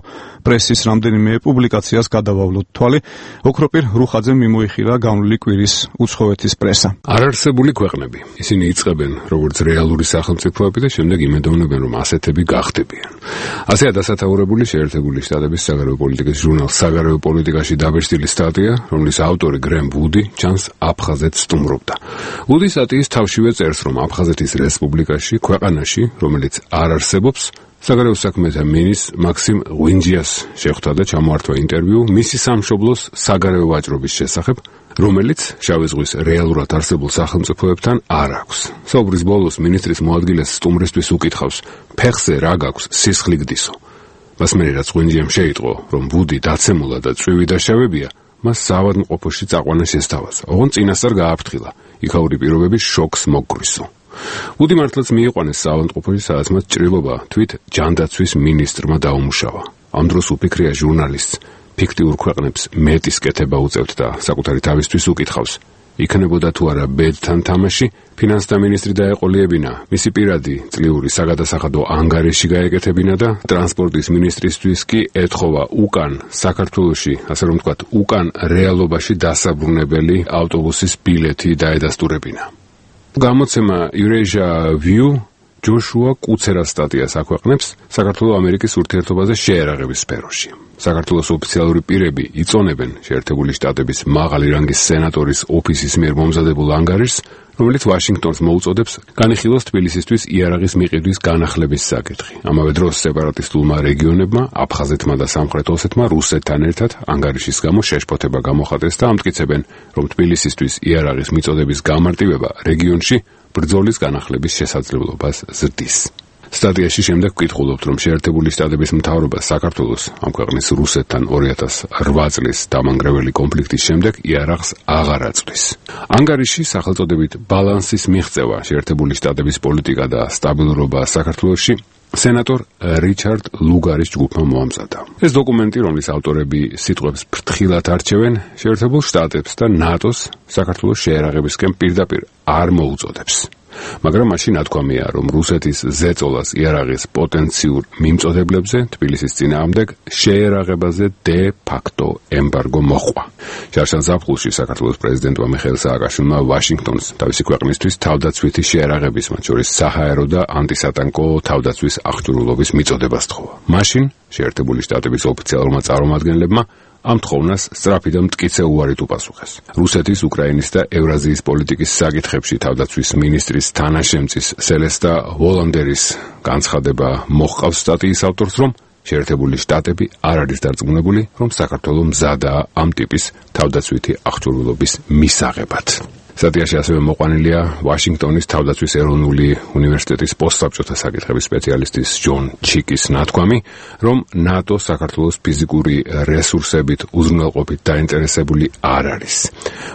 [SPEAKER 9] პრესის რამდენიმე პუბლიკაციას გადავავლოთ თვალი. ოქროპირ რუხაძემ მიმოიხილა განვლილი კვირის უცხოეთის პრესა.
[SPEAKER 21] არარსებული ქვეყნები. ისინი იწყებენ როგორც რეალური სახელმწიფოები და შემდეგ იმედოვნებენ, რომ ასეთები გახდებიან. ასეა დასათაურებული შეერთებული შტატების საგარეო პოლიტიკის ჟურნალ საგარეო პოლიტიკაში დაბეჭდილი სტატია, რომლის ავტორი გრემ ვუდი ჩანს აფხაზეთს სტუმრობდა. ვუდი სტატიის თავშივე წერს, რომ აფხაზეთის რესპუბლიკაში, ქვეყანაში, რომელიც არ არსებობს, საგარეო საქმეთა მინისტრ მაქსიმ ღვინჯიას შეხვდა და ჩამოართვა ინტერვიუ მისი სამშობლოს საგარეო ვაჭრობის შესახებ, რომელიც შავი ზღვის რეალურად არსებულ სახელმწიფოებთან არ აქვს. საუბრის ბოლოს მინისტრის მოადგილეს სტუმრისთვის უკითხავს, ფეხზე რა გაქვს სისხლი გდისო. მას მერე რაც ღვინჯიამ შეიტყო, რომ ვუდი დაცემულა და წვივი დაშავებია, მას საავადმყოფოში წაყვანა შესთავაზა. ოღონდ წინასწარ გააფრთხილა, იქაური პირობების შოკს მოგგრისო. ვუდი მართლაც მიიყვანეს საავადმყოფოში, სადაც მას ჭრილობა თვით ჯანდაცვის მინისტრმა დაუმუშავა. ამ დროს უფიქრია ჟურნალისტს, ფიქტიურ ქვეყნებს მეტის კეთება უწევთ და საკუთარი თავისთვის უკითხავს, იქნებოდა თუ არა ბედთან თამაში, ფინანსთა მინისტრი დაეყოლიებინა, მისი პირადი წლიური საგადასახადო ანგარიში გაეკეთებინა და ტრანსპორტის მინისტრისთვის კი ეთხოვა უკან საქართველოში, ასე რომ ვთქვათ, უკან რეალობაში დასაბრუნებელი ავტობუსის ბილეთი დაედასტურებინა. გამოცემა Eurasia View ჯოშუა კუცერას სტატიას აქვეყნებს საქართველო-ამერიკის ურთიერთობაზე შეერაღების სფეროში. საქართველოს ოფიციალური პირები იწონებენ შეერთებული შტატების მაღალი რანგის სენატორის ოფისის მიერ მომზადებულ ანგარიშს, რომელიც ვაშინგტონს მოუწოდებს განიხილოს თბილისისთვის იარაღის მიყიდვის განახლების საკითხი. ამავე დროს სეპარატისტულმა რეგიონებმა, აფხაზეთმა და სამხრეთ ოსეთმა რუსეთთან ერთად ანგარიშის გამო შეშფოთება გამოხატეს და ამტკიცებენ, რომ თბილისისთვის იარაღის მიწოდების გამარტივება რეგიონში ბრძოლის განახლების შესაძლებლობას ზრდის. სტატიაში შემდეგ ვკითხულობთ, რომ შეერთებული შტატების მთავრობა საქართველოს ამ ქვეყნის რუსეთთან 2008 წლის დამანგრეველი კონფლიქტის შემდეგ იარაღს აღარ აწვდის. ანგარიში სახელწოდებით ბალანსის მიღწევა, შეერთებული შტატების პოლიტიკა და სტაბილურობა საქართველოში სენატორ რიჩარდ ლუგარის ჯგუფმა მოამზადა. ეს დოკუმენტი, რომლის ავტორები სიტყვებს ფრთხილად არჩევენ, შეერთებულ შტატებს და ნატოს საქართველოს შეერაღებისკენ პირდაპირ არ მოუწოდებს. მაგრამ მაშინ ნათქვამია, რომ რუსეთის ზეწოლას იარაღის პოტენციურ მიმწოდებლებზე თბილისის წინააღმდეგ შეერაღებაზე დე ფაქტო ემბარგო მოჰყვა. შარშან ზაფხულში საქართველოს პრეზიდენტმა მიხეილ სააკაშვილმა ვაშინგტონს თავისი ქვეყნისთვის თავდაცვითი შეერაღების, მათ შორის საჰაერო და ანტისატანკო თავდაცვის აღჭურვილობის მიწოდება სთხოვა. მაშინ შეერთებული შტატების ოფიციალურმა წარმომადგენლებმა ამ თხოვნას სწრაფი და მტკიცე უარით უპასუხეს. რუსეთის, უკრაინის და ევრაზიის პოლიტიკის საკითხებში თავდაცვის მინისტრის თანაშემწის სელესტა ვოლანდერის განცხადება მოჰყავს სტატიის ავტორს, რომ შეერთებული შტატები არ არის დარწმუნებული, რომ საქართველოს მზადაა ამ ტიპის თავდაცვითი აღჭურვილობის მისაღებად. სტატიაში ასევე მოყვანილია ვაშინგტონის თავდაცვის ეროვნული უნივერსიტეტის პოსტსაბჭოთა საკითხების სპეციალისტის ჯონ ჩიკის ნათქვამი, რომ ნატო საქართველოს ფიზიკური რესურსებით უზრუნველყოფით დაინტერესებული არ არის.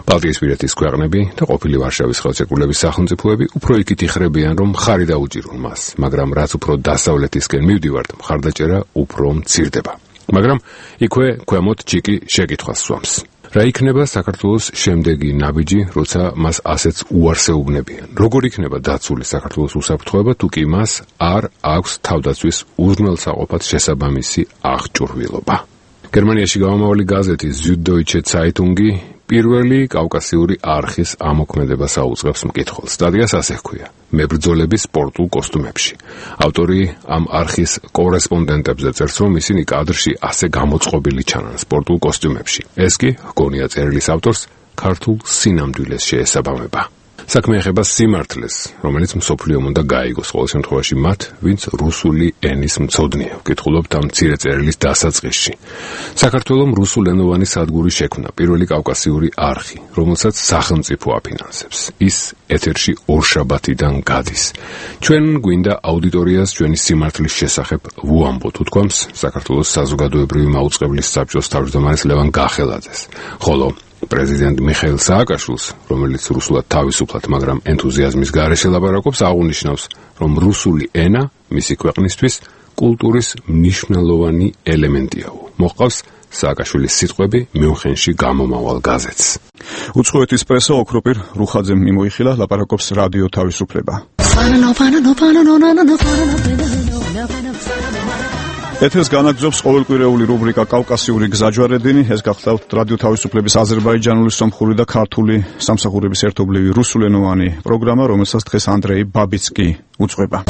[SPEAKER 21] ბალტიისპირეთის ქვეყნები და ყოფილი ვარშავის ხელშეკრულების სახელმწიფოები უფრო იქით იხრებიან, რომ მხარი დაუჭირონ მას, მაგრამ რაც უფრო დასავლეთისკენ მივდივართ, მხარდაჭერა უფრო მცირდება. მაგრამ იქვე ქვემოთ ჩიკი შეკითხვას სვამს. რა იქნება საქართველოს შემდეგი ნაბიჯი, როცა მას ასეც უარს ეუბნებიან? როგორ იქნება დაცული საქართველოს უსაფრთხოება, თუ კი მას არ აქვს თავდაცვის უზრუნველსაყოფად შესაბამისი აღჭურვილობა? გერმანიაში გამომავალი გაზეთი Süddeutsche Zeitung პირველი კავკასიური არხის ამოქმედებას აუწყებს მკითხველს. სტატიას ასე ჰქვია: მებრძოლები სპორტულ კოსტუმებში. ავტორი ამ არხის კორესპონდენტებზე წერს, რომ ისინი კადრში ასე გამოწყობილი ჩანან სპორტულ კოსტუმებში. ეს კი, ჰგონია წერილის ავტორს, ქართულ სინამდვილეს შეესაბამება. საქმე ეხება სიმართლეს, რომელიც მსოფლიომ უნდა გაიგოს, ყოველ შემთხვევაში მათ, ვინც რუსული ენის მცოდნეა. ვკითხულობთ ამ მცირე წერილის დასაწყისში. საქართველოს რუსულენოვანი სადგური შექმნა, პირველი კავკასიური არხი, რომელსაც სახელმწიფო აფინანსებს. ის ეთერში ორშაბათიდან გადის. ჩვენ გვინდა აუდიტორიას ჩვენი სიმართლის შესახებ ვუამბოთ, უთქვამს საქართველოს საზოგადოებრივი მაუწყებლის საბჭოს თავმჯდომარის ლევან გახელაძეს. ხოლო პრეზიდენტ მიხეილ სააკაშვილს, რომელიც რუსულად თავისუფლად, მაგრამ ენთუზიაზმის გარეშე ლაპარაკობს, აღნიშნავს, რომ რუსული ენა მისი ქვეყნისთვის კულტურის მნიშვნელოვანი ელემენტია. მოჰყავს სააკაშვილის სიტყვები მიუნხენში გამომავალ გაზეთს.
[SPEAKER 1] უცხოეთის პრესა ოქროპირ რუხაძემ მიმოიხილა, ლაპარაკობს რადიო თავისუფლება. ეთერს განაგრძობს ყოველკვირეული რუბრიკა კავკასიური გზაჯვარედინი. ეს გახლავთ რადიო თავისუფლების აზერბაიჯანული, სომხური და ქართული სამსახურების ერთობლივი რუსულენოვანი პროგრამა, რომელსაც დღეს ანდრეი ბაბიცკი უძღვება.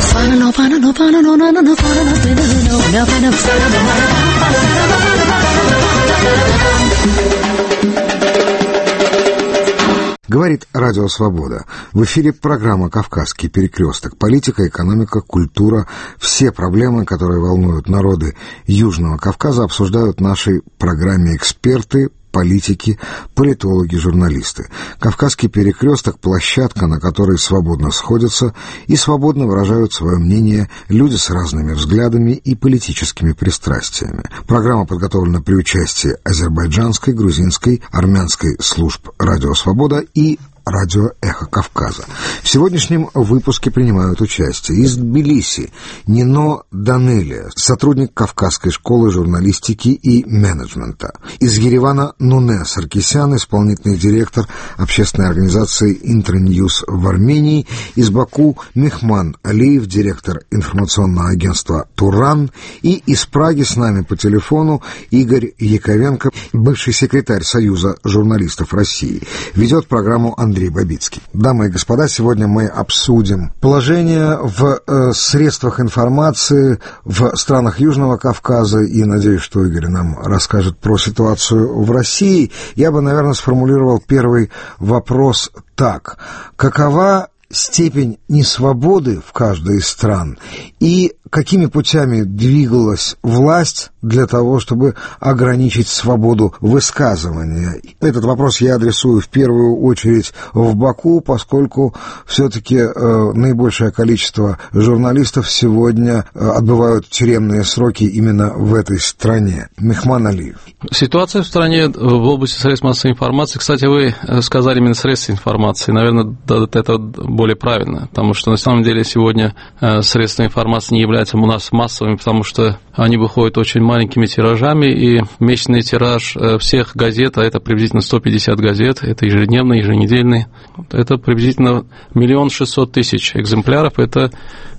[SPEAKER 3] Говорит Радио Свобода. В эфире программа «Кавказский перекресток». Политика, экономика, культура. Все проблемы, которые волнуют народы Южного Кавказа, обсуждают в нашей программе эксперты, политики, политологи, журналисты. «Кавказский перекресток» — площадка, на которой свободно сходятся и свободно выражают свое мнение люди с разными взглядами и политическими пристрастиями. Программа подготовлена при участии азербайджанской, грузинской, армянской служб «Радио Свобода» и радио «Эхо Кавказа». В сегодняшнем выпуске принимают участие из Тбилиси Нино Данелия, сотрудник Кавказской школы журналистики и менеджмента. Из Еревана Нуне Саркисян, исполнительный директор общественной организации «Интерньюз» в Армении. Из Баку Мехман Алиев, директор информационного агентства «Туран». И из Праги с нами по телефону Игорь Яковенко, бывший секретарь Союза журналистов России. Ведет программу Андрей Бабицкий. Дамы и господа, сегодня мы обсудим положение в средствах информации в странах Южного Кавказа, и надеюсь, что Игорь нам расскажет про ситуацию в России. Я бы, наверное, сформулировал первый вопрос так. Какова степень несвободы в каждой из стран и какими путями двигалась власть для того, чтобы ограничить свободу высказывания. Этот вопрос я адресую в первую очередь в Баку, поскольку все-таки наибольшее количество журналистов сегодня отбывают тюремные сроки именно в этой стране. Мехман Алиев.
[SPEAKER 2] Ситуация в стране в области средств массовой информации, кстати, вы сказали именно средств информации, наверное, это более правильно, потому что на самом деле сегодня средства информации не являются у нас массовыми, потому что они выходят очень маленькими тиражами, и месячный тираж всех газет, а это приблизительно 150 газет, это ежедневные, еженедельные, это приблизительно 1 600 000 экземпляров, это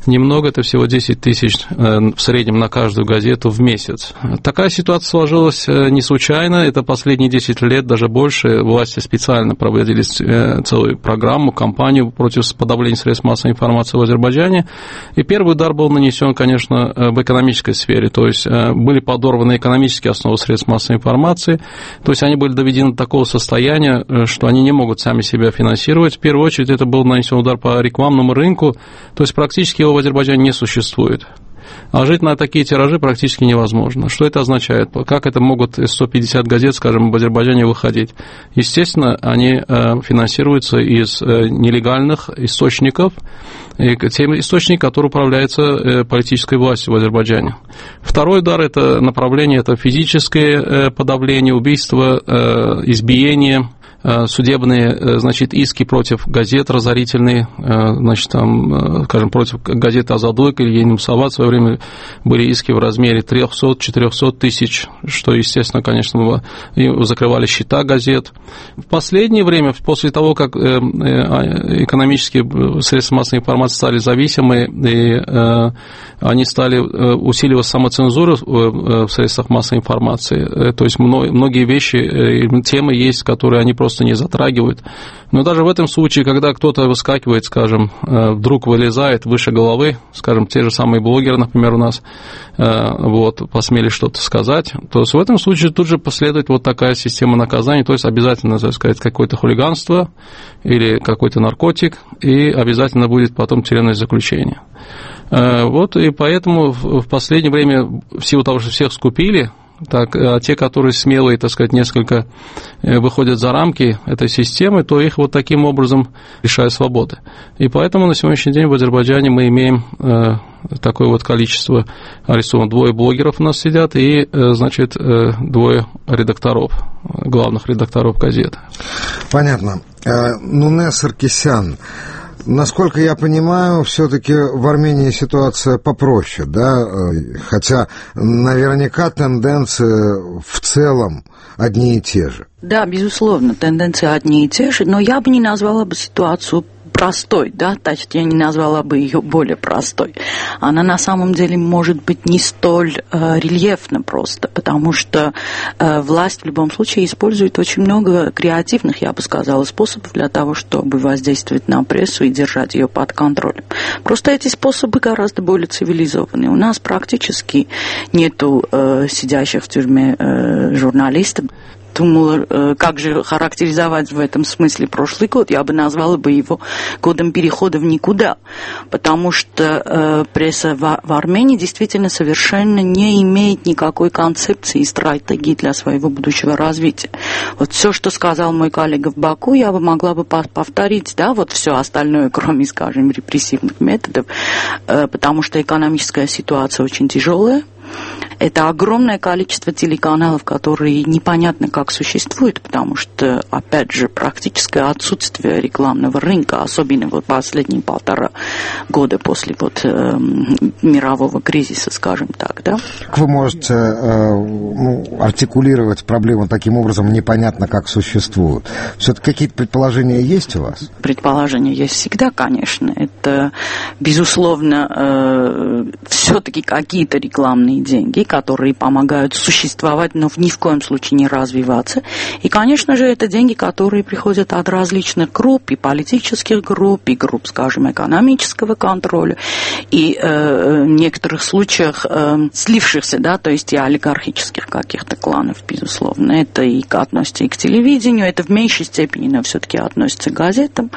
[SPEAKER 2] немного, это всего 10 тысяч в среднем на каждую газету в месяц. Такая ситуация сложилась не случайно, это последние 10 лет, даже больше, власти специально проводили целую программу, кампанию против подавления средств массовой информации в Азербайджане, и первый удар был нанесен, конечно, в экономической сфере, то есть были подорваны экономические основы средств массовой информации, то есть они были доведены до такого состояния, что они не могут сами себя финансировать. В первую очередь это был нанесен удар по рекламному рынку, то есть практически его в Азербайджане не существует. А жить на такие тиражи практически невозможно. Что это означает? Как это могут 150 газет, скажем, в Азербайджане выходить? Естественно, они финансируются из нелегальных источников, тем источников, которые управляются политической властью в Азербайджане. Второй удар – это направление, это физическое подавление, убийство, избиение, судебные, значит, иски против газет разорительные, значит, там, скажем, против газеты «Азадойк» или «Ени Мусават» в свое время были иски в размере 300-400 тысяч, что, естественно, конечно, закрывали счета газет. В последнее время, после того, как экономические средства массовой информации стали зависимы, и они стали усиливать самоцензуру в средствах массовой информации, то есть многие вещи, темы есть, которые они просто не затрагивают. Но даже в этом случае, когда кто-то выскакивает, скажем, вдруг вылезает выше головы, скажем, те же самые блогеры, например, у нас, вот, посмели что-то сказать, то в этом случае тут же последует вот такая система наказаний, то есть обязательно, так сказать, какое-то хулиганство или какой-то наркотик, и обязательно будет потом тюремное заключение. Вот, и поэтому в последнее время, в силу того, что всех скупили, так, а те, которые смелые, так сказать, несколько выходят за рамки этой системы, то их вот таким образом лишают свободы. И поэтому на сегодняшний день в Азербайджане мы имеем такое вот количество арестованных. 2 блогеров у нас сидят и, значит, 2 редакторов, главных редакторов газеты.
[SPEAKER 3] Понятно. Нуне Саркисян. Насколько я понимаю, все-таки в Армении ситуация попроще, да? Хотя наверняка тенденции в целом одни и те же.
[SPEAKER 16] Да, безусловно, тенденции одни и те же, но я бы не назвала бы ситуацию простой, да, точнее, я не назвала бы ее более простой. Она на самом деле может быть не столь рельефна просто, потому что власть в любом случае использует очень много креативных, я бы сказала, способов для того, чтобы воздействовать на прессу и держать ее под контролем. Просто эти способы гораздо более цивилизованные. У нас практически нету сидящих в тюрьме журналистов. Думала, как же характеризовать в этом смысле прошлый год. Я бы назвала бы его годом перехода в никуда, потому что пресса в Армении действительно совершенно не имеет никакой концепции и стратегии для своего будущего развития. Вот все, что сказал мой коллега в Баку, я бы могла бы повторить, да, вот все остальное, кроме, скажем, репрессивных методов, потому что экономическая ситуация очень тяжелая. Это огромное количество телеканалов, которые непонятно как существуют, потому что, опять же, практическое отсутствие рекламного рынка, особенно вот последние 1,5 года после вот мирового кризиса, скажем так, да.
[SPEAKER 3] Как вы можете артикулировать проблему таким образом, непонятно как существуют? Все-таки какие-то предположения есть у вас?
[SPEAKER 16] Предположения есть всегда, конечно. Это, безусловно, все-таки какие-то рекламные деньги, которые помогают существовать, но ни в коем случае не развиваться. И, конечно же, это деньги, которые приходят от различных групп, и политических групп, и групп, скажем, экономического контроля, и в некоторых случаях слившихся, да, то есть и олигархических каких-то кланов, безусловно. Это и относится и к телевидению, это в меньшей степени, но все-таки относится к газетам.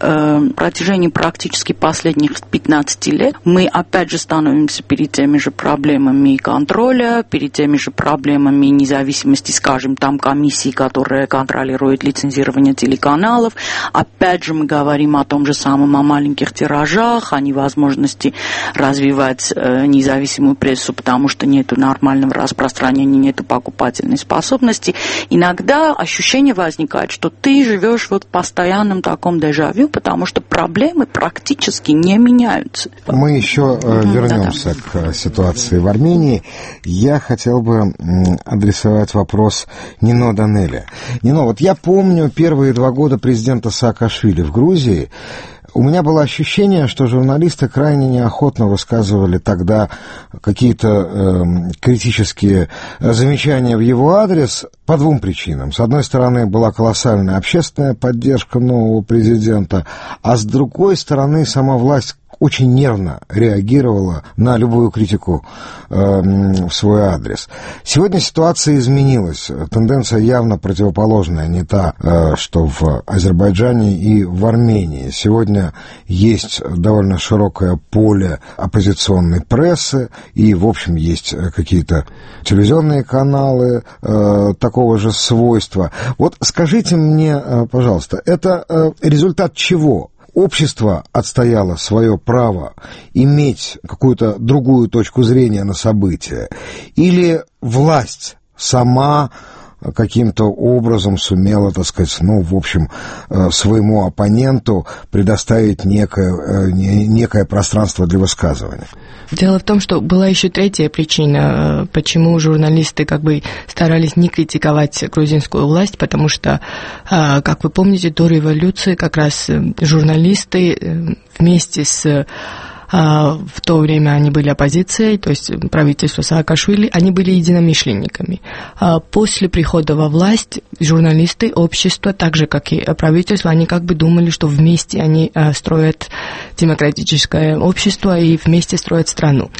[SPEAKER 16] В протяжении практически последних 15 лет мы, опять же, становимся перед теми же проблемами экономики, контроля, перед теми же проблемами независимости, скажем, там комиссии, которые контролируют лицензирование телеканалов. Опять же мы говорим о том же самом, о маленьких тиражах, о невозможности развивать независимую прессу, потому что нет нормального распространения, нет покупательной способности. Иногда ощущение возникает, что ты живешь вот в постоянном таком дежавю, потому что проблемы практически не меняются.
[SPEAKER 3] Мы еще вернемся к ситуации в Армении. Я хотел бы адресовать вопрос Нино Данелия. Нино, вот я помню первые 2 года президента Саакашвили в Грузии. У меня было ощущение, что журналисты крайне неохотно высказывали тогда какие-то критические замечания в его адрес по 2 причинам. С одной стороны, была колоссальная общественная поддержка нового президента, а с другой стороны, сама власть очень нервно реагировала на любую критику в свой адрес. Сегодня ситуация изменилась. Тенденция явно противоположная, не та, что в Азербайджане и в Армении. Сегодня есть довольно широкое поле оппозиционной прессы, и, в общем, есть какие-то телевизионные каналы такого же свойства. Вот скажите мне, пожалуйста, это результат чего? Общество отстояло свое право иметь какую-то другую точку зрения на события, или власть сама каким-то образом сумела, так сказать, в общем, своему оппоненту предоставить некое пространство для высказывания?
[SPEAKER 4] Дело в том, что была еще третья причина, почему журналисты старались не критиковать грузинскую власть, потому что, как вы помните, до революции как раз журналисты вместе с... В то время они были оппозицией, то есть правительство Саакашвили, они были единомышленниками. После прихода во власть журналисты, общество, так же, как и правительство, они думали, что вместе они строят демократическое общество и вместе строят страну.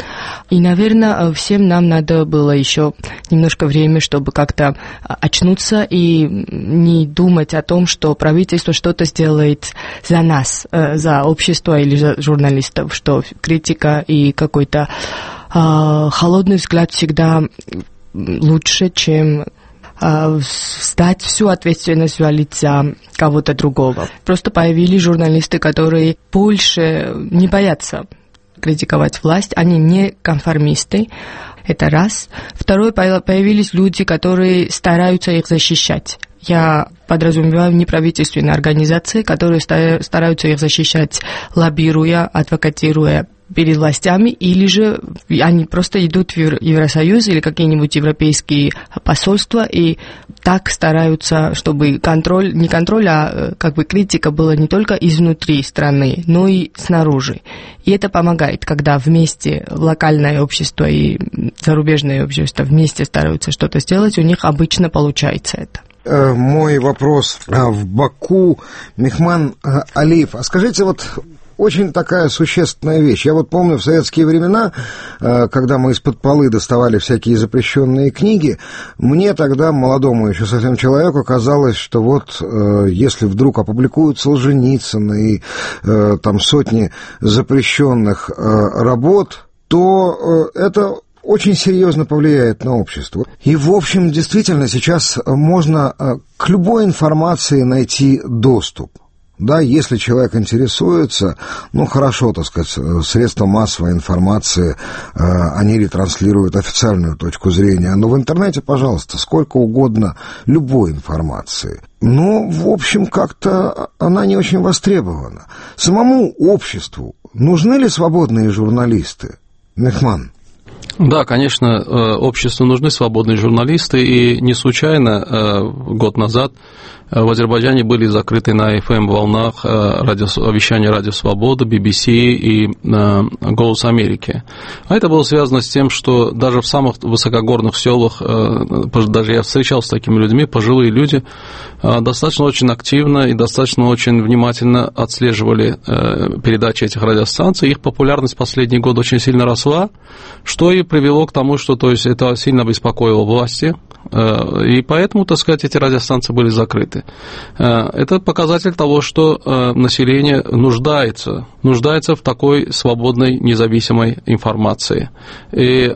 [SPEAKER 4] И, наверное, всем нам надо было еще немножко времени, чтобы как-то очнуться и не думать о том, что правительство что-то сделает за нас, за общество или за журналистов, что критика и какой-то холодный взгляд всегда лучше, чем сдать всю ответственность, валить за кого-то другого. Просто появились журналисты, которые больше не боятся критиковать власть, они не конформисты, это раз. Второе, появились люди, которые стараются их защищать. Я подразумеваю неправительственные организации, которые стараются их защищать, лоббируя, адвокатируя перед властями, или же они просто идут в Евросоюз или какие-нибудь европейские посольства и так стараются, чтобы не контроль, а критика была не только изнутри страны, но и снаружи. И это помогает, когда вместе локальное общество и зарубежное общество вместе стараются что-то сделать, у них обычно получается это.
[SPEAKER 3] Мой вопрос в Баку. Мехман Алиев, а скажите, очень такая существенная вещь. Я помню в советские времена, когда мы из-под полы доставали всякие запрещенные книги, мне тогда, молодому еще совсем человеку, казалось, что если вдруг опубликуют Солженицына и там сотни запрещенных работ, то это очень серьезно повлияет на общество. И, в общем, действительно, сейчас можно к любой информации найти доступ. Да, если человек интересуется, хорошо, так сказать, средства массовой информации, они ретранслируют официальную точку зрения, но в интернете, пожалуйста, сколько угодно любой информации. Но, в общем, как-то она не очень востребована. Самому обществу нужны ли свободные журналисты? Мехман?
[SPEAKER 2] Да, конечно, обществу нужны свободные журналисты, и не случайно год назад в Азербайджане были закрыты на FM-волнах вещания Радио Свобода, BBC и Голос Америки. А это было связано с тем, что даже в самых высокогорных селах, даже я встречался с такими людьми, пожилые люди, достаточно очень активно и достаточно очень внимательно отслеживали передачи этих радиостанций. Их популярность в последние годы очень сильно росла, что что и привело к тому, что то есть, это сильно беспокоило власти, и поэтому, так сказать, эти радиостанции были закрыты. Это показатель того, что население нуждается в такой свободной, независимой информации. И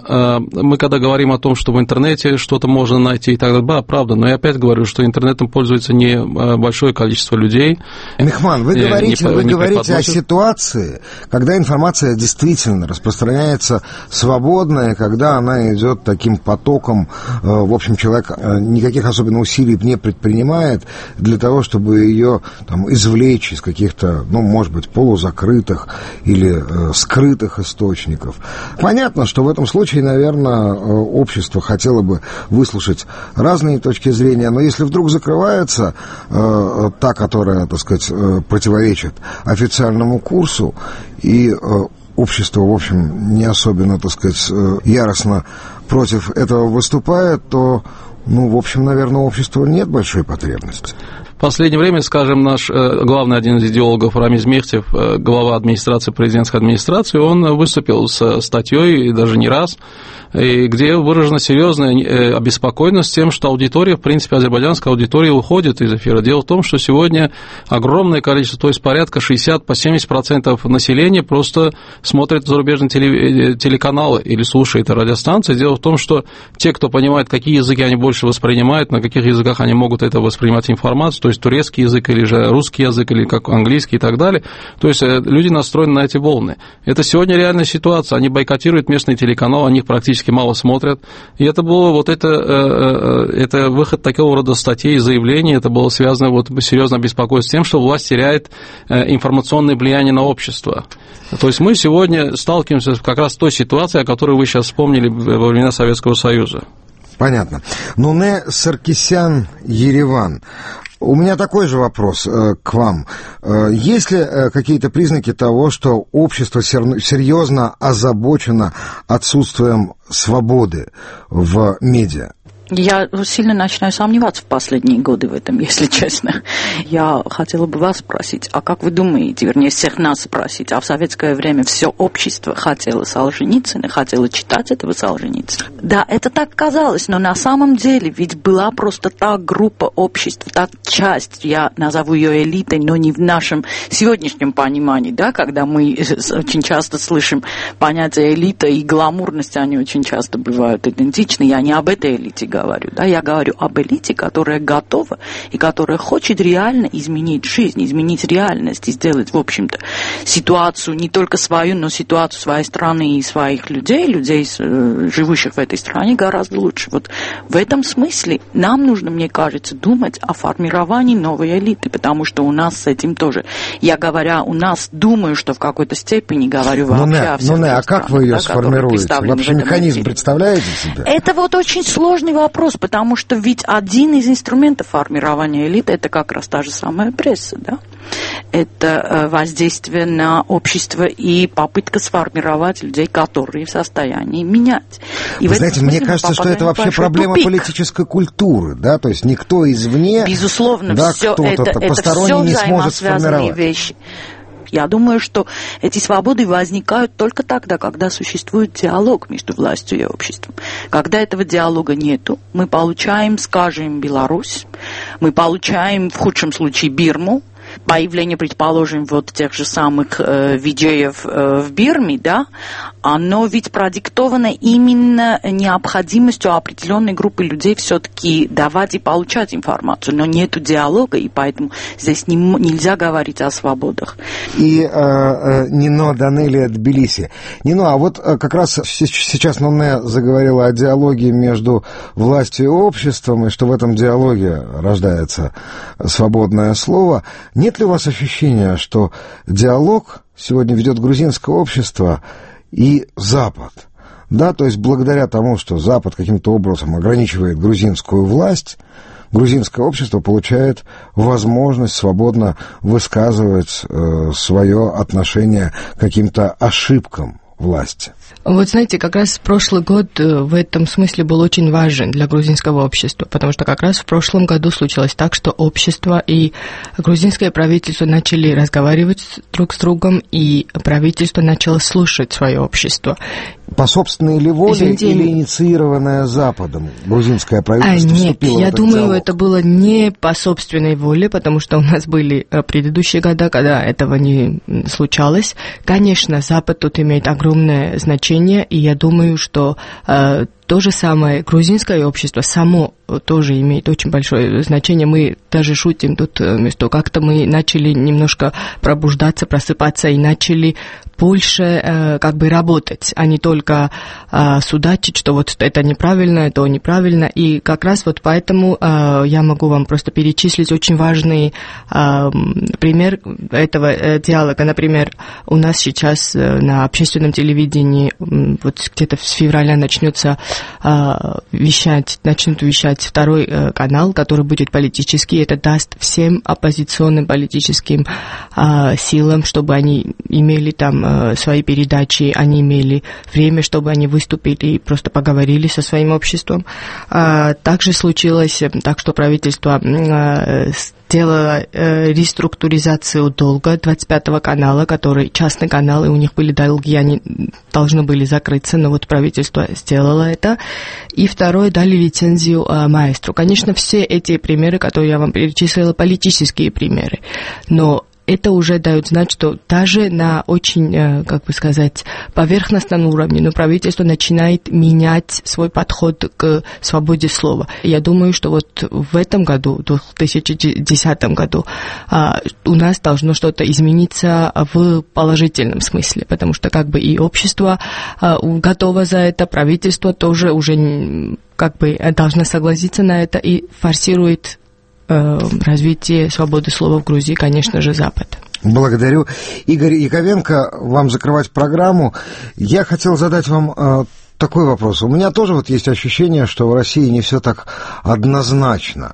[SPEAKER 2] мы когда говорим о том, что в интернете что-то можно найти и так далее, да, правда, но я опять говорю, что интернетом пользуется не большое количество людей.
[SPEAKER 3] Мехман, вы говорите о ситуации, когда информация действительно распространяется свободно, и когда она идет таким потоком, в общем, человек никаких особенно усилий не предпринимает для того, чтобы ее там извлечь из каких-то, ну, может быть, полузакрытых или скрытых источников. Понятно, что в этом случае, наверное, общество хотело бы выслушать разные точки зрения, но если вдруг закрывается та, которая, так сказать, противоречит официальному курсу, и общество, в общем, не особенно, так сказать, яростно против этого выступает, то, ну, в общем, наверное, у общества нет большой потребности.
[SPEAKER 2] В последнее время, скажем, наш главный один из идеологов Рамиз Мехтев, глава администрации, президентской администрации, он выступил с статьей, и даже не раз, где выражена серьезная обеспокоенность тем, что аудитория, в принципе, азербайджанская аудитория уходит из эфира. Дело в том, что сегодня огромное количество, то есть порядка 60-70% населения просто смотрит зарубежные телеканалы или слушает радиостанции. Дело в том, что те, кто понимает, какие языки они больше воспринимают, на каких языках они могут это воспринимать информацию, то есть турецкий язык или же русский язык, или как английский и так далее. То есть люди настроены на эти волны. Это сегодня реальная ситуация. Они бойкотируют местные телеканалы, они их практически мало смотрят. И это было вот это выход такого рода статей и заявлений, это было связано вот серьезно беспокойство с тем, что власть теряет информационное влияние на общество. То есть мы сегодня сталкиваемся как раз с той ситуацией, о которой вы сейчас вспомнили во времена Советского Союза.
[SPEAKER 3] Понятно. Нуне Саркисян, Ереван. У меня такой же вопрос к вам. Есть ли какие-то признаки того, что общество серьезно озабочено отсутствием свободы в медиа?
[SPEAKER 16] Я сильно начинаю сомневаться в последние годы в этом, если честно. Я хотела бы вас спросить, а как вы думаете, вернее, всех нас спросить, а в советское время все общество хотело Солженицына, хотело читать этого Солженицына? Да, это так казалось, но на самом деле ведь была просто та группа общества, та часть, я назову ее элитой, но не в нашем сегодняшнем понимании, да, когда мы очень часто слышим понятие элита и гламурность, они очень часто бывают идентичны, я не об этой элите говорю, да, я говорю об элите, которая готова и которая хочет реально изменить жизнь, изменить реальность и сделать, в общем-то, ситуацию не только свою, но ситуацию своей страны и своих людей, живущих в этой стране, гораздо лучше. Вот в этом смысле нам нужно, мне кажется, думать о формировании новой элиты, потому что у нас с этим тоже, я говоря у нас, думаю, что в какой-то степени говорю вообще о всех странах.
[SPEAKER 3] А как вы ее сформируете? Вообще механизм представляете себе?
[SPEAKER 16] Это вот очень сложный вопрос, потому что ведь один из инструментов формирования элиты — это как раз та же самая пресса, да? Это воздействие на общество и попытка сформировать людей, которые в состоянии менять. И
[SPEAKER 3] вы знаете, мне кажется, что это вообще проблема политической культуры, да, то есть никто извне,
[SPEAKER 16] безусловно,
[SPEAKER 3] да,
[SPEAKER 16] все
[SPEAKER 3] кто-то посторонний не сможет сформировать.
[SPEAKER 16] Вещи. Я думаю, что эти свободы возникают только тогда, когда существует диалог между властью и обществом. Когда этого диалога нету, мы получаем, скажем, Беларусь, мы получаем, в худшем случае, Бирму, появление, предположим, вот тех же самых видеев в Бирме, да, оно ведь продиктовано именно необходимостью определенной группы людей все-таки давать и получать информацию, но нету диалога, и поэтому здесь нельзя говорить о свободах.
[SPEAKER 3] И Нино Данелия Тбилиси. Нино, а вот как раз сейчас Нуне заговорила о диалоге между властью и обществом, и что в этом диалоге рождается свободное слово. Нет ли у вас ощущения, что диалог сегодня ведет грузинское общество и Запад? Да, то есть благодаря тому, что Запад каким-то образом ограничивает грузинскую власть, грузинское общество получает возможность свободно высказывать свое отношение к каким-то ошибкам власти.
[SPEAKER 4] Вот знаете, как раз прошлый год в этом смысле был очень важен для грузинского общества, потому что как раз в прошлом году случилось так, что общество и грузинское правительство начали разговаривать друг с другом, и правительство начало слушать свое общество.
[SPEAKER 3] По собственной ли воле или инициированное Западом грузинское правительство вступило в этот диалог?
[SPEAKER 4] Нет, я думаю, это было не по собственной воле, потому что у нас были предыдущие года, когда этого не случалось. Конечно, Запад тут имеет огромное значение, и я думаю, что то же самое грузинское общество само тоже имеет очень большое значение. Мы даже шутим тут, что как-то мы начали немножко пробуждаться, просыпаться и начали больше как бы работать, а не только судачить, что вот это неправильно, то неправильно. И как раз вот поэтому я могу вам просто перечислить очень важный пример этого диалога. Например, у нас сейчас на общественном телевидении вот где-то с февраля начнут вещать второй канал, который будет политический. Это даст всем оппозиционным политическим силам, чтобы они имели там свои передачи, они имели время, чтобы они выступили и просто поговорили со своим обществом. Также случилось так, что правительство сделала реструктуризацию долга 25-го канала, который частный канал, и у них были долги, они должны были закрыться, но вот правительство сделало это. И второе, дали лицензию маэстру. Конечно, все эти примеры, которые я вам перечислила, политические примеры, но это уже дает знать, что даже на очень, как бы сказать, поверхностном уровне, но правительство начинает менять свой подход к свободе слова. Я думаю, что вот в этом году, в 2010 году, у нас должно что-то измениться в положительном смысле, потому что как бы и общество готово за это, правительство тоже уже как бы должно согласиться на это и форсирует развитие свободы слова в Грузии, конечно же, Запад.
[SPEAKER 3] Благодарю. Игорь Яковенко, вам закрывать программу. Я хотел задать вам такой вопрос. У меня тоже вот есть ощущение, что в России не все так однозначно,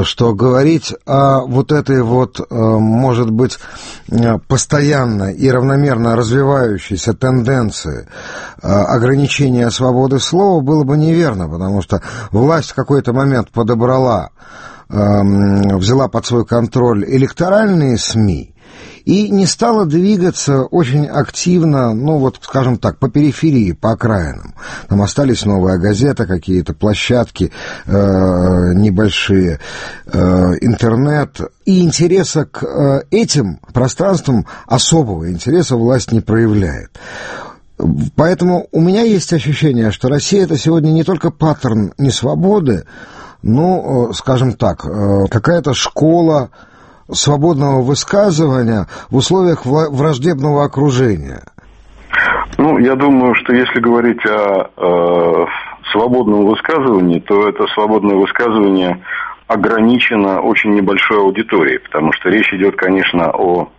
[SPEAKER 3] что говорить о вот этой вот, может быть, постоянно и равномерно развивающейся тенденции ограничения свободы слова было бы неверно, потому что власть в какой-то момент взяла под свой контроль электоральные СМИ и не стала двигаться очень активно, ну вот, скажем так, по периферии, по окраинам. Там остались «Новая газета», какие-то площадки небольшие, интернет. И интереса к этим пространствам, особого интереса власть не проявляет. Поэтому у меня есть ощущение, что Россия — это сегодня не только паттерн несвободы, ну, скажем так, какая-то школа свободного высказывания в условиях враждебного окружения.
[SPEAKER 8] Ну, я думаю, что если говорить о свободном высказывании, то это свободное высказывание ограничено очень небольшой аудиторией, потому что речь идет, конечно, о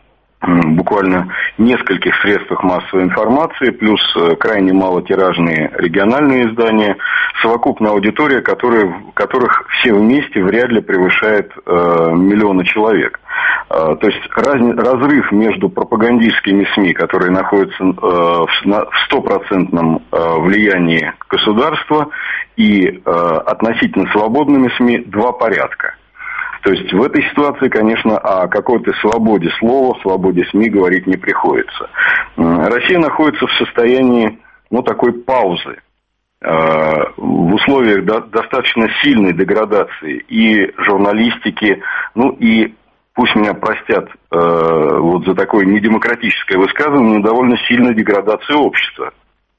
[SPEAKER 8] буквально нескольких средствах массовой информации, плюс крайне малотиражные региональные издания, совокупная аудитория, которых все вместе вряд ли превышает миллионы человек. То есть разрыв между пропагандистскими СМИ, которые находятся в стопроцентном влиянии государства, и относительно свободными СМИ два порядка. То есть в этой ситуации, конечно, о какой-то свободе слова, свободе СМИ говорить не приходится. Россия находится в состоянии, такой паузы, в условиях достаточно сильной деградации и журналистики, и, пусть меня простят за такое недемократическое высказывание, довольно сильной деградации общества,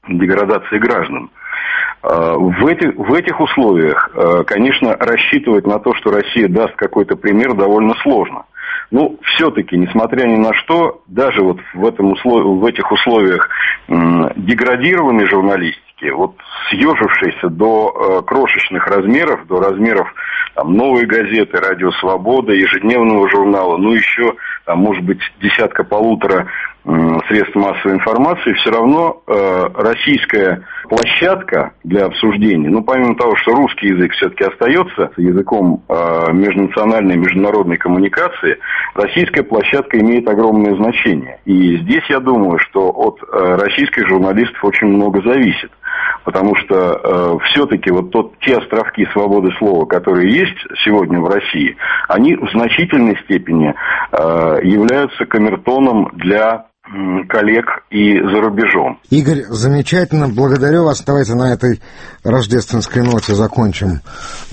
[SPEAKER 8] деградации граждан. В этих условиях, конечно, рассчитывать на то, что Россия даст какой-то пример, довольно сложно. Но все-таки, несмотря ни на что, даже вот в этих условиях деградированной журналистики, съежившейся до крошечных размеров, до размеров «Новой газеты», «Радио Свобода», ежедневного журнала, еще, может быть, десятка-полутора средств массовой информации, все равно российская площадка для обсуждения, помимо того, что русский язык все-таки остается языком межнациональной, международной коммуникации, российская площадка имеет огромное значение. И здесь я думаю, что от российских журналистов очень много зависит. Потому что все-таки те островки свободы слова, которые есть сегодня в России, они в значительной степени являются камертоном для коллег и за рубежом.
[SPEAKER 3] Игорь, замечательно, благодарю вас. Давайте на этой рождественской ноте закончим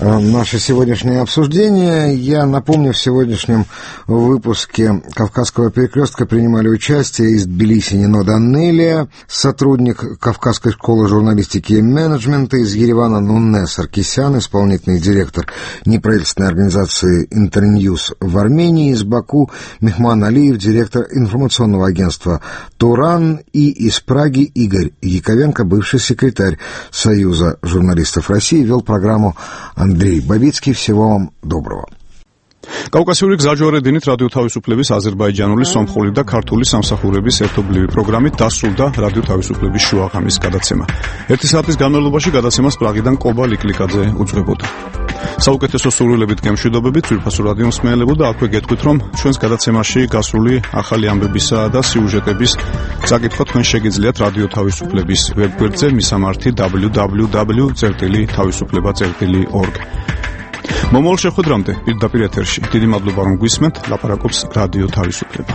[SPEAKER 3] наше сегодняшнее обсуждение. Я напомню, в сегодняшнем выпуске «Кавказского перекрестка» принимали участие из Тбилиси Нино Данелия, сотрудник Кавказской школы журналистики и менеджмента, из Еревана Нунне Саркисян, исполнительный директор неправительственной организации «Интерньюз» в Армении, из Баку Мехман Алиев, директор информационного агентства «Туран», и из Праги Игорь Яковенко, бывший секретарь Союза журналистов России, вел программу Андрей Бабицкий. Всего вам доброго.
[SPEAKER 1] კავკასიური გზაჯვარედინით რადიო თავისუფლების აზერბაიჯანული, სომხური და ქართული სამსახურების ერთობლივი პროგრამით დასრულდა რადიო თავისუფლების შუაღამის გადაცემა. 1 საათის განმავლობაში გადაცემას პრაღიდან კობა ლიკლიკაძე უძღვებოდა. საუკეთესო სურვილებით გემშვიდობებით ძვირფასო რადიო მსმენელებო და აქვე გეტყვით, რომ ჩვენს გადაცემაში გასრული ახალი ამბებისა და სიუჟეტების წაკითხვა თქვენ შეგიძლიათ რადიო თავისუფლების ვებგვერდზე მისამართი www.თავისუფლება.org. მომავალ შეხვედრამდე პირდაპირ ეთერში დიდი მადლობა რომ გვისმენთ. ლაპარაკობს რადიო თავისუფლება.